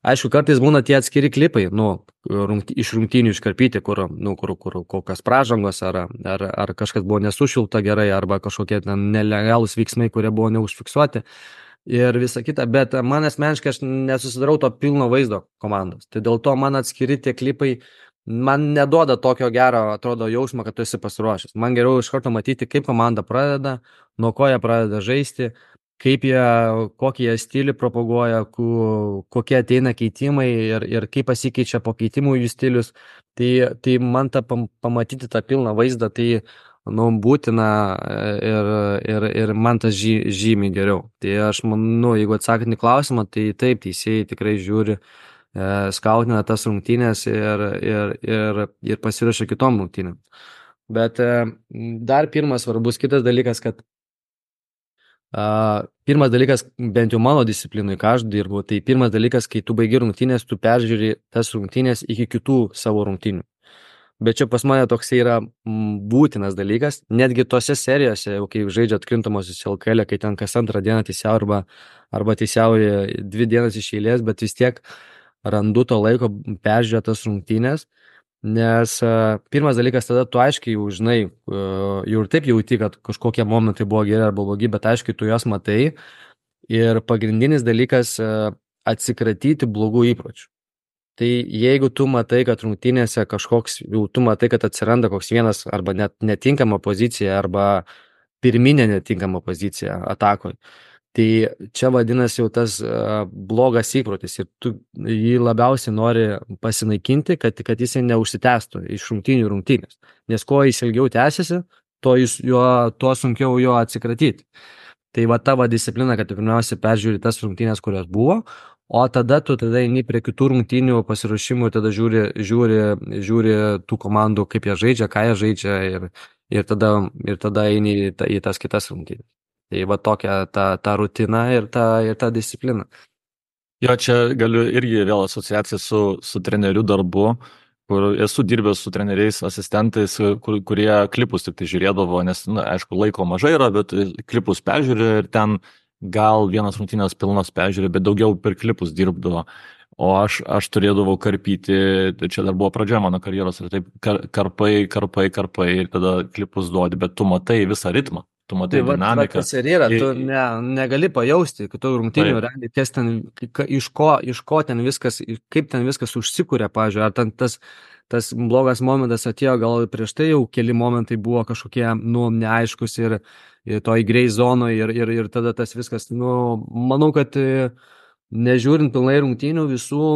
Aišku, kartais būna tie atskiri klipai, nu, rungty, iš rungtynių iškarpyti, kur, nu, kur, kur kokios pražangos, ar, ar, ar kažkas buvo nesušilta gerai, arba kažkokie ten nelegalūs veiksmai, kurie buvo neužfiksuoti ir visa kita, bet man asmeniškai aš nesusidarau to pilno vaizdo komandos. Tai dėl to man atskiri tie klipai, man neduoda tokio gero, atrodo, jausmo, kad tu esi pasiruošęs. Man geriau iš karto matyti, kaip komanda pradeda, nuo ko jie pradeda žaisti, kaip jie, kokį jie stilių propaguoja, kokie ateina keitimai ir, ir kaip pasikeičia po keitimų jų stilius. Tai, tai man tą pamatyti tą pilną vaizdą, tai nu, būtina ir, ir, ir man tas žy, žymiai geriau. Tai aš manau, jeigu atsakant į klausimą, tai taip, teisėjai tikrai žiūri, e, skautina tas rungtynės ir, ir, ir, ir pasiruošia kitom rungtynėm. Bet e, dar pirmas svarbus kitas dalykas, kad Uh, pirmas dalykas, bent jau mano disciplinui, ką aš dirbu, tai pirmas dalykas, kai tu baigi rungtynės, tu peržiūri tas rungtynės iki kitų savo rungtynių. Bet čia pas mane toks yra m, būtinas dalykas, netgi tose serijose, jau kai žaidžia atkrintamosios L K L, kai ten kas antrą dieną teisiau arba, arba teisiauja dvi dienas iš eilės, bet vis tiek randu to laiko peržiūrėti tas rungtynės. Nes uh, pirmas dalykas, tada tu aiškiai jau žinai, uh, jau ir taip jauti, kad kažkokie momentai buvo geri arba blogi, bet aiškiai tu juos matai. Ir pagrindinis dalykas uh, atsikratyti blogų įpročių. Tai jeigu tu matai, kad rungtynėse kažkoks, jau tu matai, kad atsiranda koks vienas arba net netinkama pozicija arba pirminė netinkama pozicija atakoje, tai čia vadinasi jau tas uh, blogas įprotis ir tu jį labiausiai nori pasinaikinti, kad, kad jis neužsitęstų iš rungtynių rungtynės. Nes kuo jis ilgiau tęsiasi, to, jis, jo, tuo sunkiau jo atsikratyti. Tai va tavo disciplina, kad tu pirmiausia peržiūri tas rungtynės, kurios buvo, o tada tu tada eini prie kitų rungtynių pasiruošimų, tada žiūri, žiūri, žiūri tų komandų, kaip jie žaidžia, ką jie žaidžia ir, ir, tada, ir tada eini į, ta, į tas kitas rungtynės. Tai va tokia ta, ta rutina ir ta, ir ta disciplina. Jo, čia galiu irgi vėl asociacija su, su trenerių darbu, kur esu dirbęs su treneriais, asistentais, kur, kurie klipus tik tai žiūrėdavo, nes, na, aišku, laiko mažai yra, bet klipus peržiūrė ir ten gal vienas rungtynės pilnas peržiūrė, bet daugiau per klipus dirbdavo. O aš, aš turėdavau karpyti, čia dar buvo pradžia mano karjeros, ir taip kar, karpai, karpai, karpai, ir tada klipus duodi, bet tu matai visą ritmą. Tu matai tai dinamiką. Tas ir yra, tu ne, negali pajausti, kad tu rungtynių realiai, kas ten, iš ko, iš ko ten viskas, kaip ten viskas užsikūrė, pavyzdžiui, ar ten tas, tas blogas momentas atėjo, gal prieš tai jau keli momentai buvo kažkokie, nu, neaiškus ir, ir toj grey zonoje ir, ir, ir tada tas viskas, nu, manau, kad nežiūrint pilnai rungtynių visų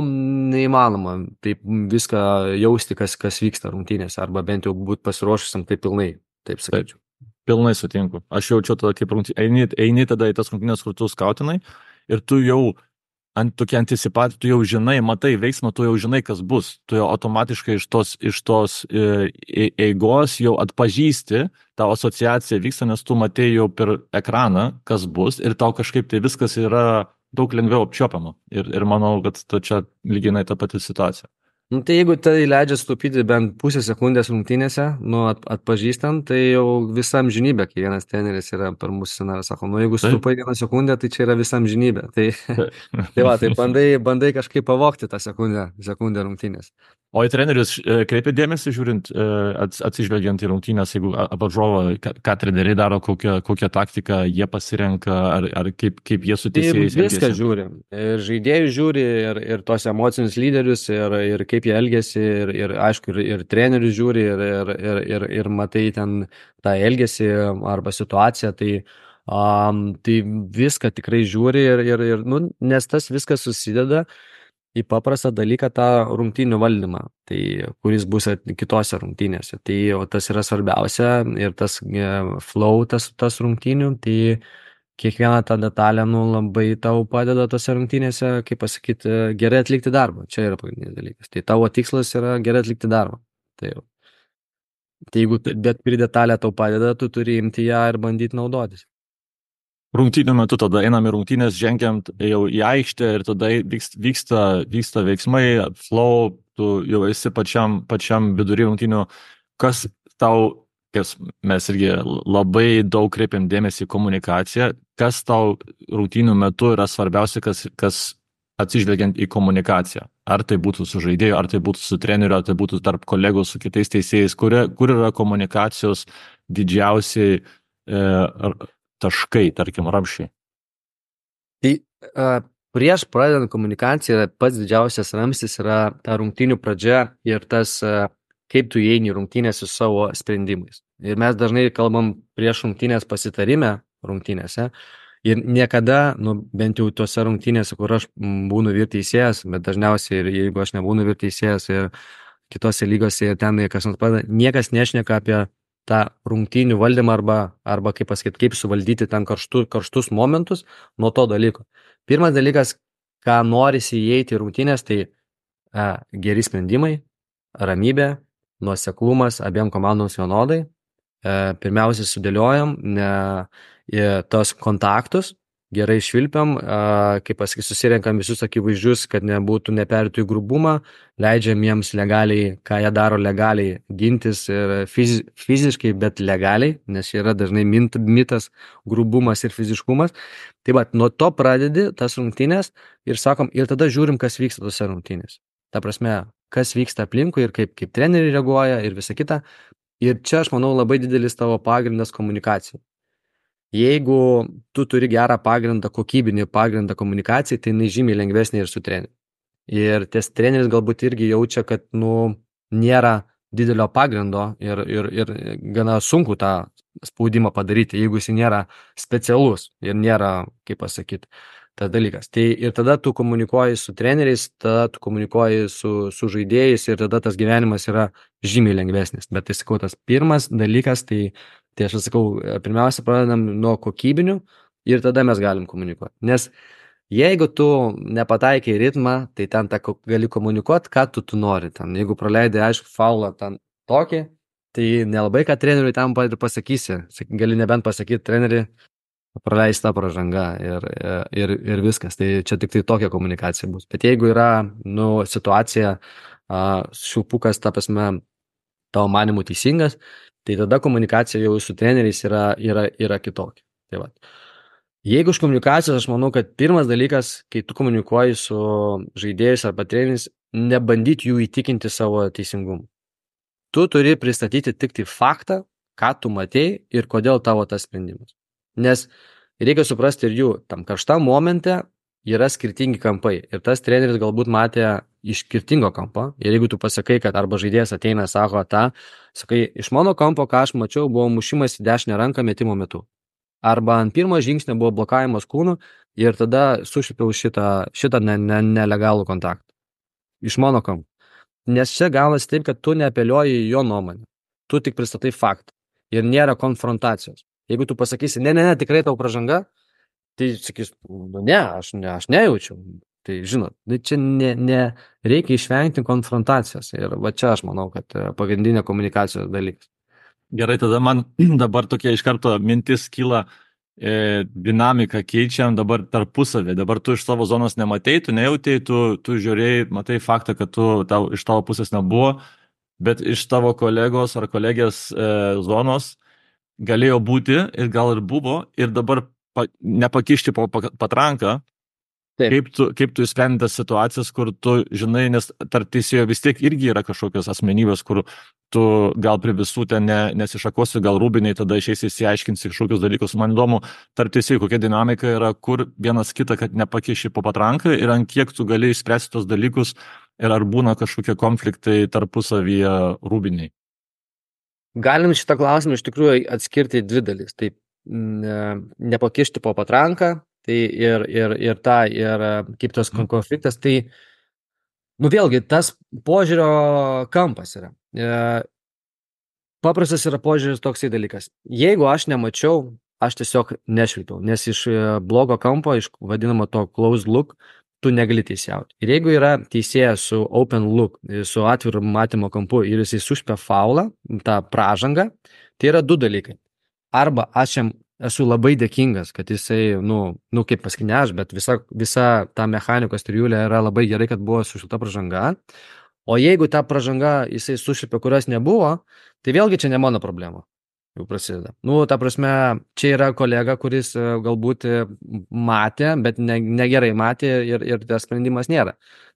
neįmanoma taip viską jausti, kas, kas vyksta rungtynėse, arba bent jau būti pasiruošusiam taip pilnai, taip sakyčiau. Pilnai sutinku. Aš jaučiu tada kaip rungtynės, eini, eini tada į tas rungtynės, kur tu skautinai ir tu jau ant tokia anticipacija, tu jau žinai, matai veiksmą, tu jau žinai, kas bus. Tu jau automatiškai iš tos, iš tos e, eigos jau atpažįsti, tavo asociacija vyksta, nes tu matei jau per ekraną, kas bus ir tau kažkaip tai viskas yra daug lengviau apčiuopiama. Ir, ir manau, kad čia lyginai ta pati situacija. Nu, tai jeigu tai leidžia stupyti bent pusę sekundės rungtynėse, nu, at, atpažįstant, tai jau visam žinybė, kai vienas treneris yra per mūsų scenariją, sako, nu, jeigu stupai vieną sekundę, tai čia yra visam žinybė. Tai, tai va, tai bandai, bandai kažkaip pavogti tą sekundę, sekundę rungtynės. O į trenerius kreipia dėmesį, žiūrint, atsižvelgiant į rungtynės, jeigu apvaržovo, ką treneriai daro, kokią, kokią taktiką jie pasirenka, ar, ar kaip, kaip jie su teisėjais elgiasi? Viską žiūri. Ir žaidėjus žiūri, ir, ir tos emocinius lyderius, ir, ir kaip jie elgiasi, ir, ir aišku, ir, ir trenerius žiūri, ir, ir, ir, ir, ir matai ten tą elgesį arba situaciją, tai, um, tai viską tikrai žiūri, ir, ir, ir, nu, nes tas viskas susideda į paprastą dalyką tą rungtynių valdymą, tai kuris bus kitose rungtynėse. Tai o tas yra svarbiausia ir tas flow, tas, tas rungtynių, tai kiekviena ta detalė nu, labai tau padeda tose rungtynėse, kaip pasakyti, gerai atlikti darbą. Čia yra pagrindinis dalykas. Tai tavo tikslas yra gerai atlikti darbą. Tai, jau. Tai jeigu bet kuri detalė tau padeda, tu turi imti ją ir bandyti naudotis. Rungtynių metu tada einam į rungtynės, žengiam jau į aikštę ir tada vyksta, vyksta veiksmai, flow, tu jau esi pačiam, pačiam vidury rungtynių. Kas tau, kas mes irgi labai daug kreipiam dėmesį į komunikaciją, kas tau rungtynių metu yra svarbiausia, kas, kas atsižvelgiant į komunikaciją. Ar tai būtų su žaidėju, ar tai būtų su treneriu, ar tai būtų tarp kolegų, su kitais teisėjais, kur, kur yra komunikacijos didžiausiai e, taškai, tarkim, ramščiai. Tai a, prieš pradedant komunikaciją pats didžiausias ramstis yra ta rungtynių pradžia ir tas, a, kaip tu įeini rungtynės su savo sprendimais. Ir mes dažnai kalbam prieš rungtynės pasitarime rungtynėse ir niekada, nu, bent jau tuose rungtynėse, kur aš būnu vyr teisėjas, bet dažniausiai ir jeigu aš nebūnu vyr teisėjas ir kitose lygose ir ten kas nors padeda, niekas nešneka apie tą rungtynių valdymą arba, arba kaip pasakyti, kaip suvaldyti ten karštu, karštus momentus nuo to dalyko. Pirmas dalykas, ką norisi įeiti į rungtynės, tai a, geri sprendimai, ramybė, nuoseklumas abiem komandoms vienodai. A, pirmiausia, sudėliojam ne, tos kontaktus, gerai švilpiam, a, kaip pasakyti, susirenkam visus akivaizdžius, kad nebūtų neperėtų į grubumą, leidžiam jiems legaliai, ką jie daro legaliai, gintis ir fizi, fiziškai, bet legaliai, nes yra dažnai mint, mitas grubumas ir fiziškumas. Tai va, nuo to pradedi tas rungtynės ir sakom, ir tada žiūrim, kas vyksta tose rungtynės. Ta prasme, kas vyksta aplinkui ir kaip, kaip treneriai reaguoja ir visa kita. Ir čia, aš manau, labai didelis tavo pagrindas komunikacijai. Jeigu tu turi gerą pagrindą, kokybinį pagrindą komunikacijai, tai jinai žymiai lengvesnė ir su treneriu. Ir ties treneris galbūt irgi jaučia, kad nu, nėra didelio pagrindo ir, ir, ir gana sunku tą spaudimą padaryti, jeigu jis nėra specialus ir nėra, kaip pasakyti, tas dalykas. Tai ir tada tu komunikuoji su treneriais, tada tu komunikuoji su, su žaidėjais ir tada tas gyvenimas yra žymiai lengvesnis. Bet tai sakau, tas pirmas dalykas, tai Tai aš sakau, pirmiausia, pradedam nuo kokybinių ir tada mes galim komunikuoti. Nes jeigu tu nepataikai ritmą, tai ten ta, gali komunikuoti, ką tu, tu nori. Ten, jeigu praleidai, aišku, faulą ten tokį, tai nelabai ką treneriui tam pasakysi. Gali nebent pasakyti treneriui, praleis tą pražangą ir, ir, ir viskas. Tai čia tik tai tokia komunikacija bus. Bet jeigu yra nu, situacija, šilpukas, ta prasme, tavo manimų teisingas, tai tada komunikacija jau su treneriais yra, yra, yra kitokia. Tai va. Jeigu iš komunikacijos, aš manau, kad pirmas dalykas, kai tu komunikuoji su žaidėjais arba treneriais, nebandyti jų įtikinti savo teisingumu. Tu turi pristatyti tik tai faktą, ką tu matei ir kodėl tavo tas sprendimas. Nes reikia suprasti ir jų, tam karštam momente yra skirtingi kampai. Ir tas treneris galbūt matė iš skirtingo kampo. Ir jeigu tu pasakai, kad arba žaidėjas ateina, sako tą, sakai, iš mano kampo, ką aš mačiau, buvo mušimas į dešinę ranką metimo metu. Arba ant pirmo žingsnio buvo blokavimas kūnų ir tada sušlipiau šitą, šitą ne, ne, nelegalų kontaktą. Iš mano kampo. Nes čia gaunasi taip, kad tu neapeliuoji į jo nuomonę. Tu tik pristatai faktą. Ir nėra konfrontacijos. Jeigu tu pasakysi, ne, ne, ne, tikrai tau pražanga, tai sakys, nu ne, aš, ne, aš nejaučiu. Tai žinot, čia ne, ne, reikia išvengti konfrontacijos. Ir va čia aš manau, kad pagrindinė komunikacijos dalykas. Gerai, tada man dabar tokia iš karto mintis kyla, e, dinamiką keičiam dabar tarpusavį. Dabar tu iš savo zonos nematei, tu nejautei, tu, tu žiūrėjai, matai faktą, kad tu, tau, iš tavo pusės nebuvo, bet iš tavo kolegos ar kolegės e, zonos galėjo būti ir gal ir buvo ir dabar pa, nepakišti po patranką. Taip. Kaip tu, kaip tu išsprendi tas situacijas, kur tu žinai, nes tarp teisėjo vis tiek irgi yra kažkokios asmenybės, kur tu gal prie visų ten ne, nesišakosi, gal rūbiniai, tada išeisi įsiaiškinsi kažkokius dalykus. Man įdomu, tarp teisėjų kokia dinamika yra, kur vienas kitą, kad nepakiši po patranką ir ant kiek tu gali išspręsti tos dalykus ir ar būna kažkokie konfliktai tarpusavyje rūbiniai. Galim šitą klausimą iš tikrųjų atskirti dvi dalis. Tai ne, nepakišti po patranką. Tai ir, ir, ir ta, ir kaip tas konfliktas, tai Nu vėlgi, tas požiūrio kampas yra. E, paprastas yra požiūris toksai dalykas. Jeigu aš nemačiau, aš tiesiog nešvilpiau, nes iš e, blogo kampo, iš vadinamo to closed look, tu negali teisėjauti. Ir jeigu yra teisėjas su open look, su atviru matymo kampu ir jisai sušpia faulą, tą pražangą, tai yra du dalykai. Arba aš jam esu labai dėkingas, kad jisai, nu, nu kaip pasakyti, ne aš, bet visa, visa ta mechanikos trijulė yra labai gerai, kad buvo sušilta pražanga. O jeigu ta pražanga jisai sušilpė, kurios nebuvo, tai vėlgi čia ne mano problema. Jau prasideda. Nu, ta prasme, čia yra kolega, kuris e, galbūt e, matė, bet ne, negerai matė ir, ir tas sprendimas nėra.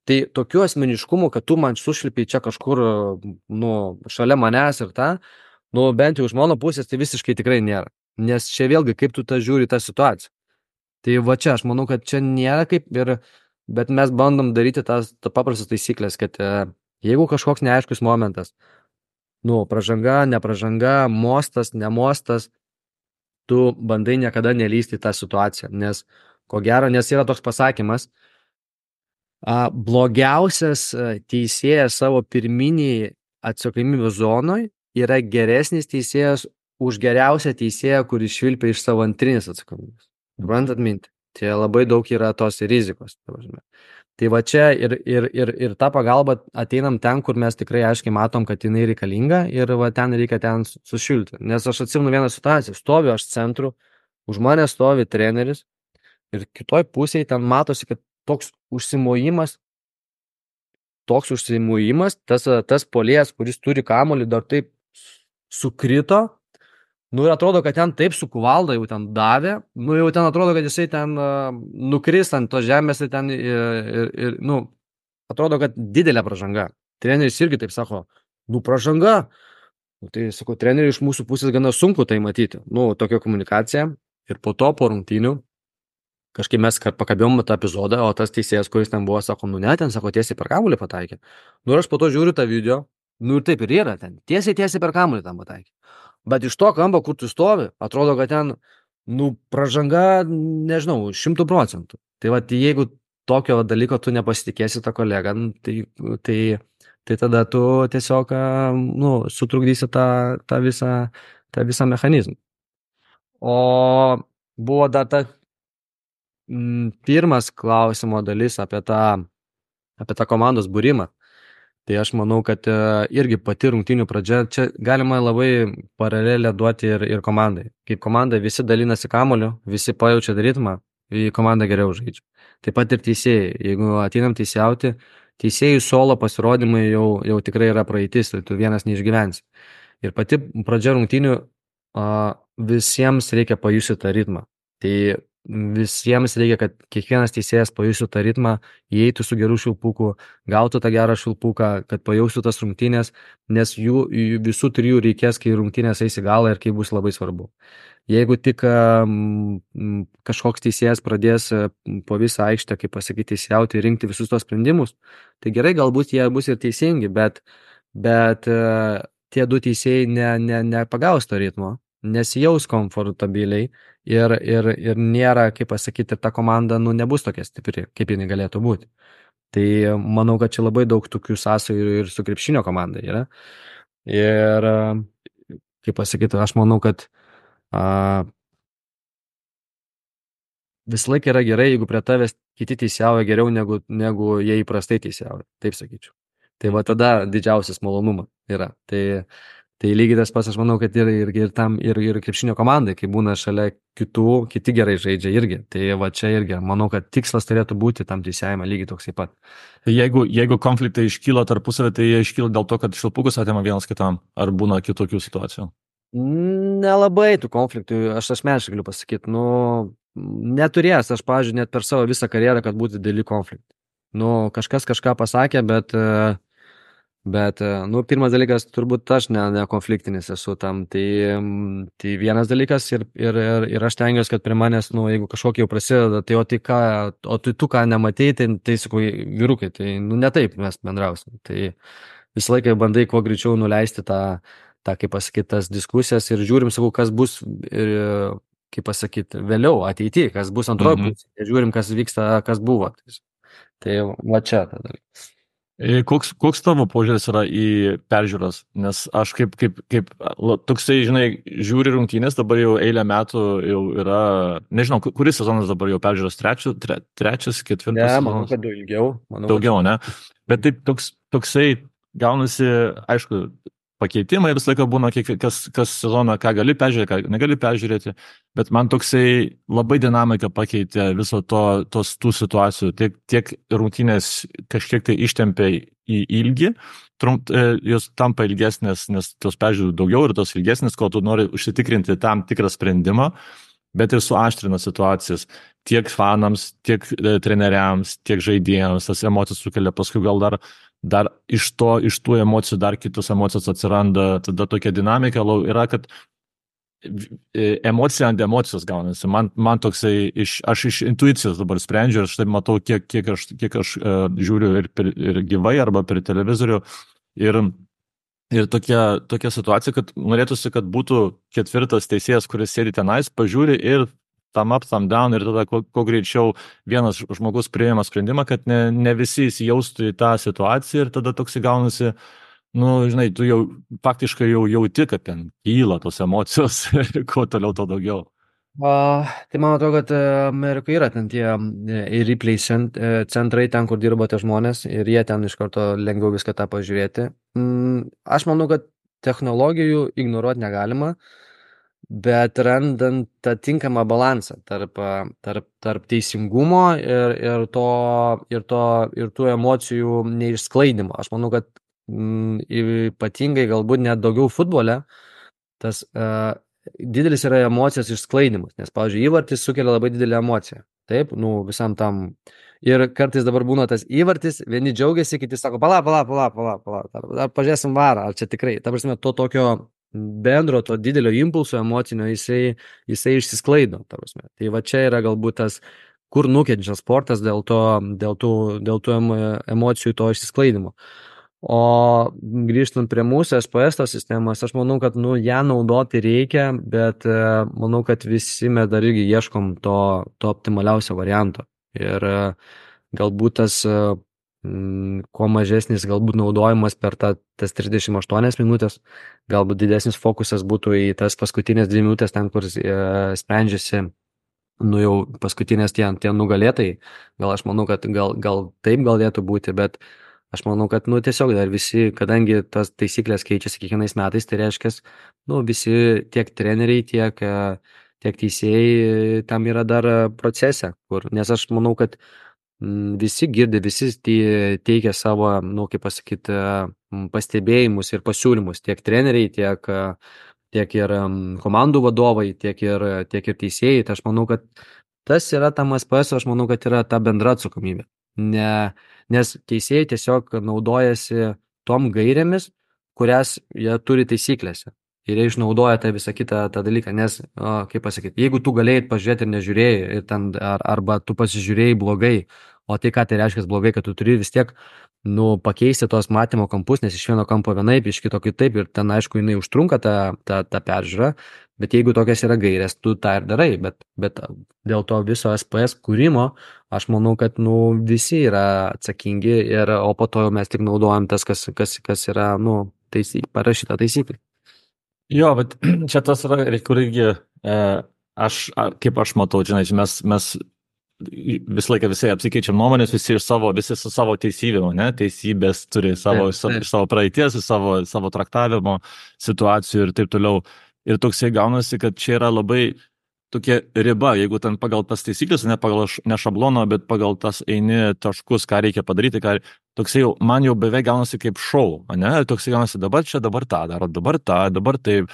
Tai tokių asmeniškumų, kad tu man sušlipiai čia kažkur, e, nu, šalia manęs ir tą, nu, bent jau iš mano pusės, tai visiškai tikrai nėra. Nes čia vėlgi, kaip tu tą žiūri tą situaciją. Tai va čia, aš manau, kad čia nėra kaip ir, bet mes bandom daryti tas ta paprastas taisyklės, kad e, jeigu kažkoks neaiškus momentas, nu, pražanga, nepražanga, mostas, nemostas, tu bandai niekada nelysti į tą situaciją, nes, ko gero, nes yra toks pasakymas, a, blogiausias a, teisėjas savo pirminiai atsakomybės zonoj yra geresnis teisėjas už geriausią teisėją, kuris švilpia iš savo antrinės atsakomybės. Suprantat mintį? Tai labai daug yra tos rizikos. Tai va čia ir, ir, ir, ir tą pagalbą ateinam ten, kur mes tikrai aiškiai matom, kad jinai reikalinga ir va ten reikia ten sušilti. Nes aš atsimenu vieną situaciją, stoviu aš centru, už mane stovi treneris ir kitoj pusėje ten matosi, kad toks užsimojimas, toks užsimojimas, tas, tas puolėjas, kuris turi kamuolį, dar taip sukrito. Nu ir atrodo, kad ten taip su kuvalda jau ten davė, nu jau ten atrodo, kad jisai ten uh, nukris ant to žemės ir ten, ir, ir, ir, nu, atrodo, kad didelė pražanga. Treneris irgi taip sako, nu pražanga. Nu, tai sako, treneriui iš mūsų pusės gana sunku tai matyti. Nu, tokia komunikacija. Ir po to, po rungtynių, kažkaip mes pakabėjom tą epizodą, o tas teisėjas, kuris ten buvo, sako, nu ne, ten, sako, tiesiai per kamuolį pataikė. Nu ir aš po to žiūriu tą video, nu ir taip ir yra ten, tiesiai, tiesiai per kamuolį ten pataikė. Bet iš to kampo, kur tu stovi, atrodo, kad ten, nu, pražanga, nežinau, šimtų procentų. Tai va, jeigu tokio dalyko tu nepasitikėsi tą kolegą, tai, tai, tai tada tu tiesiog, nu, sutrukdysi tą, tą, visą, tą visą mechanizmą. O buvo dar ta m, pirmas klausimo dalis apie tą, apie tą komandos būrimą. Tai aš manau, kad irgi pati rungtynių pradžia, čia galima labai paralelę duoti ir, ir komandai. Kaip komanda visi dalinasi kamuoliu, visi pajaučia ritmą, į komandą geriau žaidžia. Taip pat ir teisėjai. Jeigu ateinam teisėjauti, teisėjų solo pasirodymai jau, jau tikrai yra praeitis, tai tu vienas neišgyvensi. Ir pati pradžia rungtynių a, visiems reikia pajusti tą ritmą. Tai visiems reikia, kad kiekvienas teisėjas pajustų tą ritmą, įeitų su geru švilpuku, gautų tą gerą švilpuką, kad pajaustų tas rungtynės, nes jų, jų visų trijų reikės, kai rungtynės eis į galą ir kai bus labai svarbu. Jeigu tik um, kažkoks teisėjas pradės po visą aikštę, kaip pasakyti, teisėjauti ir rinkti visus tos sprendimus, tai gerai, galbūt jie bus ir teisingi, bet, bet uh, tie du teisėjai ne, ne, nepagaus to ritmo, nesijaus komfortabiliai ir, ir, ir nėra, kaip pasakyti, ir ta komanda, nu, nebus tokia stipri, kaip jinai galėtų būti. Tai manau, kad čia labai daug tokių sąsajų ir su krepšinio komanda yra. Ir, kaip pasakyti, aš manau, kad a, visą laiką yra gerai, jeigu prie tavęs kiti teisėjauja geriau, negu, negu jie įprastai teisėjauja, taip sakyčiau. Tai va tada didžiausias malonumas yra. Tai Tai lygiai tas pats, aš manau, kad ir, ir, ir tam, ir, ir krepšinio komandai, kai būna šalia kitų, kiti gerai žaidžia irgi. Tai va čia irgi, manau, kad tikslas turėtų būti tam teisėjime lygiai toksai pat. Jeigu, jeigu konfliktai iškyla tarpusavį, tai jie iškyla dėl to, kad švilpukus atima vienas kitam, ar būna kitokių situacijų? Nelabai tų konfliktų, aš asmeniškai galiu pasakyti, nu, neturėjęs, aš, pavyzdžiui, net per savo visą karjerą, kad būtų dideli konfliktai. Nu, kažkas kažką pasakė, bet... Bet, nu, pirmas dalykas, turbūt aš ne, ne konfliktinis esu tam, tai, tai vienas dalykas ir, ir, ir, ir aš tengiuosi, kad prie manęs, nu, jeigu kažkokie jau prasideda, tai o tai ką, o tai tu ką nematei, tai, tai sakau, vyrukai, tai, nu, ne taip mes bendrausim. Tai visą laiką bandai kuo greičiau nuleisti tą, tą kaip pasakyti, tas diskusijas ir žiūrim, sakau, kas bus, ir, kaip pasakyti, vėliau, ateityje, kas bus antroji mm-hmm. pusė, ir žiūrim, kas vyksta, kas buvo. Tai, tai va čia tada. E, Koks, koks tavo požiūris yra į peržiūras? Nes aš kaip, kaip, kaip, la- toksai, žinai, žiūri rungtynės, dabar jau eilę metų jau yra, nežinau, ku- kuris sezonas dabar jau peržiūros, trečias, tre, trečias, Ne, ketvirtas manau, sezonas, kad ilgiau. Manau, kad daugiau, ne? Bet taip toks, toksai gaunasi, aišku, pakeitimai visą laiką būna, kiek, kas, kas sezoną, ką gali peržiūrėti, ką negali peržiūrėti, bet man toksai labai dinamika pakeitė viso to, tos tų situacijų, tiek, tiek rungtynės kažkiek tai ištempė į ilgį, trump, e, jos tampa ilgesnės, nes tos peržiūrų daugiau ir tos ilgesnės, kol tu nori užsitikrinti tam tikrą sprendimą, bet ir suaštrina situacijas tiek fanams, tiek e, treneriams, tiek žaidėjams, tas emocijas sukelia, paskui gal dar dar iš to, iš tų emocijų dar kitos emocijos atsiranda, tada tokia dinamika lau yra, kad e, emocija ant emocijos gaunasi. Man, man toksai, iš, aš iš intuicijos dabar sprendžiu ir aš taip matau, kiek, kiek aš, kiek aš uh, žiūriu ir, per, ir gyvai arba per televizorių. Ir, ir tokia, tokia situacija, kad norėtųsi, kad būtų ketvirtas teisėjas, kuris sėdi tenais, pažiūri ir tam up, tam down ir tada kuo, kuo greičiau vienas žmogus priima sprendimą, kad ne, ne visi įsijaustų į tą situaciją ir tada toks įgaunasi, nu, žinai, tu jau faktiškai jau jauti, kad ten kyla tos emocijos ir kuo toliau, to daugiau. A, tai man atrodo, kad e, Amerikoje yra ten tie e, replay cent- e, centrai, ten, kur dirba tie žmonės ir jie ten iš karto lengviau viską tą pažiūrėti. Mm, aš manau, kad technologijų ignoruoti negalima, bet randant tą tinkamą balansą tarp, a, tarp, tarp teisingumo ir, ir, to, ir, to, ir tų emocijų neišsklaidimo. Aš manau, kad mm, ypatingai galbūt net daugiau futbole tas a, didelis yra emocijos išsklaidimas, nes, pavyzdžiui, įvartis sukelia labai didelę emociją. Taip, nu, visam tam. Ir kartais dabar būna tas įvartis, vieni džiaugiasi, kiti sako, pala, pala, pala, pala, pala, ar, ar pažiūrėsim varą, ar čia tikrai. Ta prasme, to tokio bendro, to didelio impulso emocinio, jisai, jisai išsisklaido. Ta prasme. Tai va čia yra galbūt tas, kur nukenčia sportas dėl, to, dėl, tų, dėl tų emo- emocijų to išsisklaidimo. O grįžtant prie mūsų S P S tos sistemos, aš manau, kad nu, ją naudoti reikia, bet e, manau, kad visi mes dar irgi ieškom to, to optimaliausio varianto. Ir e, galbūt tas, e, m, kuo mažesnis galbūt naudojimas per tą, tas trisdešimt aštuonias minutės, galbūt didesnis fokusas būtų į tas paskutinės dvi minutės, ten, kur e, sprendžiasi nu jau paskutinės tie, tie nugalėtai. Gal aš manau, kad gal, gal taip galėtų būti, bet aš manau, kad nu, tiesiog dar visi, kadangi tas taisyklės keičiasi kiekvienais metais, tai reiškia, nu, visi tiek treneriai, tiek, e, tiek teisėjai e, tam yra dar e, procese. Kur, nes aš manau, kad mm, visi girdi, visi tie- teikia savo, nu, kaip pasakyti, pastebėjimus ir pasiūlymus. Tiek treneriai, tiek, e, tiek ir em, komandų vadovai, tiek ir, tiek ir teisėjai. Tai aš manau, kad tas yra tam S P S, aš manau, kad yra ta bendra atsakomybė. Ne, nes teisėjai tiesiog naudojasi tom gairėmis, kurias jie turi taisyklėse. Ir jie išnaudoja tą visą kitą tą dalyką, nes, o, kaip pasakyti, jeigu tu galėjai pažiūrėti ir nežiūrėjai, ir ten, ar, arba tu pasižiūrėjai blogai, o tai ką tai reiškia blogai, kad tu turi vis tiek nu, pakeisti tos matymo kampus, nes iš vieno kampo vienaip, iš kito kitaip, ir ten, aišku, jinai užtrunka tą, tą, tą peržiūrą, bet jeigu tokias yra gairės, tu tą ir darai, bet, bet dėl to viso S P S kūrimo, aš manau, kad nu, visi yra atsakingi, ir, o po to jau mes tik naudojam tas, kas, kas, kas yra nu, taisy, parašyta taisyklė. Jo, bet čia tas yra, kur irgi, e, aš, a, kaip aš matau, žinai, mes, mes visą laiką visi apsikeičiam nuomonės, visi iš savo, visi su savo teisybėm, ne, teisybės turi savo, Taip, sa- taip. iš savo praeities, iš savo, savo traktavimo situacijų ir taip toliau. Ir toksai gaunasi, kad čia yra labai tokia riba, jeigu ten pagal tas taisyklės, ne pagal š- ne šabloną, bet pagal tas eini taškus, ką reikia padaryti, ką, toksai jau, man jau beveik gaunasi kaip šou, ne, ir toksai gaunasi dabar čia, dabar tą daro, dabar tą, dabar taip.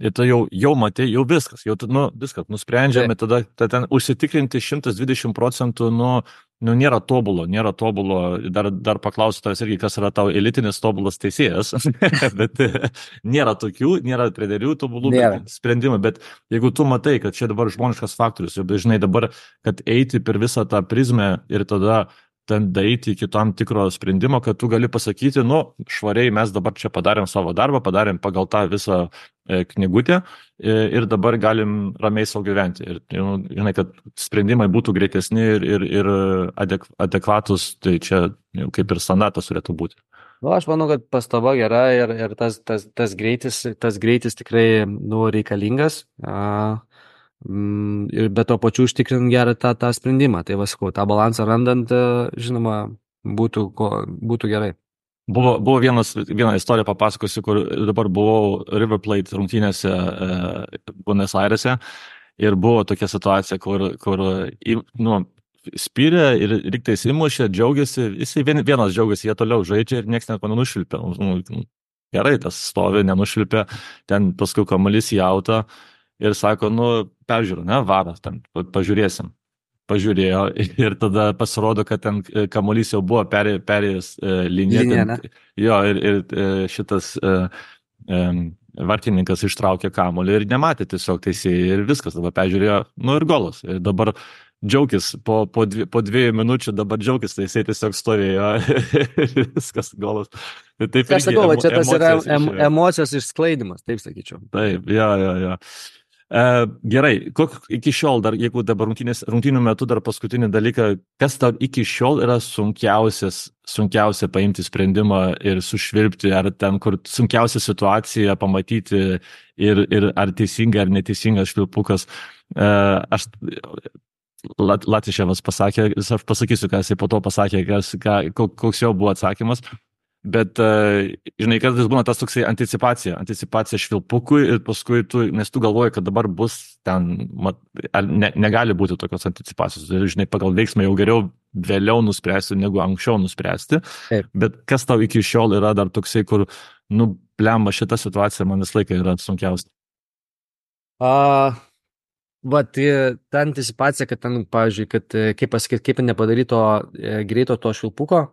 Ir tu jau, jau matė, jau viskas, jau tu, nu, viskas, nusprendžiame, tada, tada ten užsitikrinti šimtas dvidešimt procentų, nu, nu, nėra tobulo, nėra tobulo, dar, dar paklausiu tavęs irgi, kas yra tavo elitinis tobulas teisėjas, bet e, nėra tokių, nėra trenerių tobulų Nėra. bet sprendimų, bet jeigu tu matai, kad čia dabar žmoniškas faktorius, jau dažnai dabar, kad eiti per visą tą prizmę ir tada ten daeiti iki tam tikro sprendimo, kad tu gali pasakyti, nu, švariai mes dabar čia padarėm savo darbą, padarėm pagal tą visą e, knygutę e, ir dabar galim ramiai savo gyventi. Ir, nu, žinai, kad sprendimai būtų greitesni ir, ir, ir adek, adekvatus, tai čia jau, kaip ir standartas turėtų būti. Nu, aš manau, kad pastaba gera ir, ir tas, tas, tas, greitis, tas greitis tikrai nu, reikalingas. A, mm, ir be to pačiu užtikrint gerą tą, tą sprendimą. Tai vasku, tą balansą randant, žinoma, būtų, ko, būtų gerai. Buvo, buvo vienas, vieną istoriją papasakosiu, kur dabar buvau River Plate rungtynėse e, Buenos Airese ir buvo tokia situacija, kur, kur nu, spyrė ir lygtais įmušė, džiaugiasi, jisai vien, vienas džiaugiasi, jie toliau žaidžia ir niekas net nenušvilpė. Nu, gerai, tas stovi, nenušvilpė, ten paskui kamuolys į autą ir sako, nu, peržiūrė, ne, varas, ten pažiūrėsim. Pažiūrėjo ir tada pasirodo, kad ten kamuolys jau buvo perė, perėjęs e, liniją. Linija, ten, jo, ir, ir e, šitas e, e, vartininkas ištraukė kamuolį ir nematė tiesiog teisėjai ir viskas, dabar peržiūrėjo, nu ir golas. Ir dabar džiaugis, po, po, dvi, po dviejų minučių dabar džiaugis, tai jisai tiesiog stovėjo ir viskas golas. Taip, aš sakau, emo, čia tas yra em, emocijos išsklaidimas, taip sakyčiau. Taip, jo, jo, jo. E, gerai, kok, iki šiol dar, jeigu dabar rungtynių metu dar paskutinį dalyką, kas tau iki šiol yra sunkiausias, sunkiausia paimti sprendimą ir sušvilpti, ar ten, kur sunkiausia situacija pamatyti ir, ir ar teisinga ar neteisingas švilpukas. E, aš Lat, Latiševas pasakė, aš pasakysiu, ką jisai po to pasakė, kas, ką, koks jau buvo atsakymas, bet, žinai, kartais būna tas toksai anticipacija, anticipacija švilpukui ir paskui tu, nes tu galvoji, kad dabar bus ten, mat, ne, negali būti tokios anticipacijos, žinai, pagal veiksmą jau geriau vėliau nuspręsti, negu anksčiau nuspręsti, Taip. Bet kas tau iki šiol yra dar toksai, kur, nu, blemba, šita situacija man vis laiką yra sunkiausia? Uh... Va, tai ta anticipacija, kad ten, pavyzdžiui, kad, kaip pasakyti, kaip nepadaryto e, greito to švilpuko,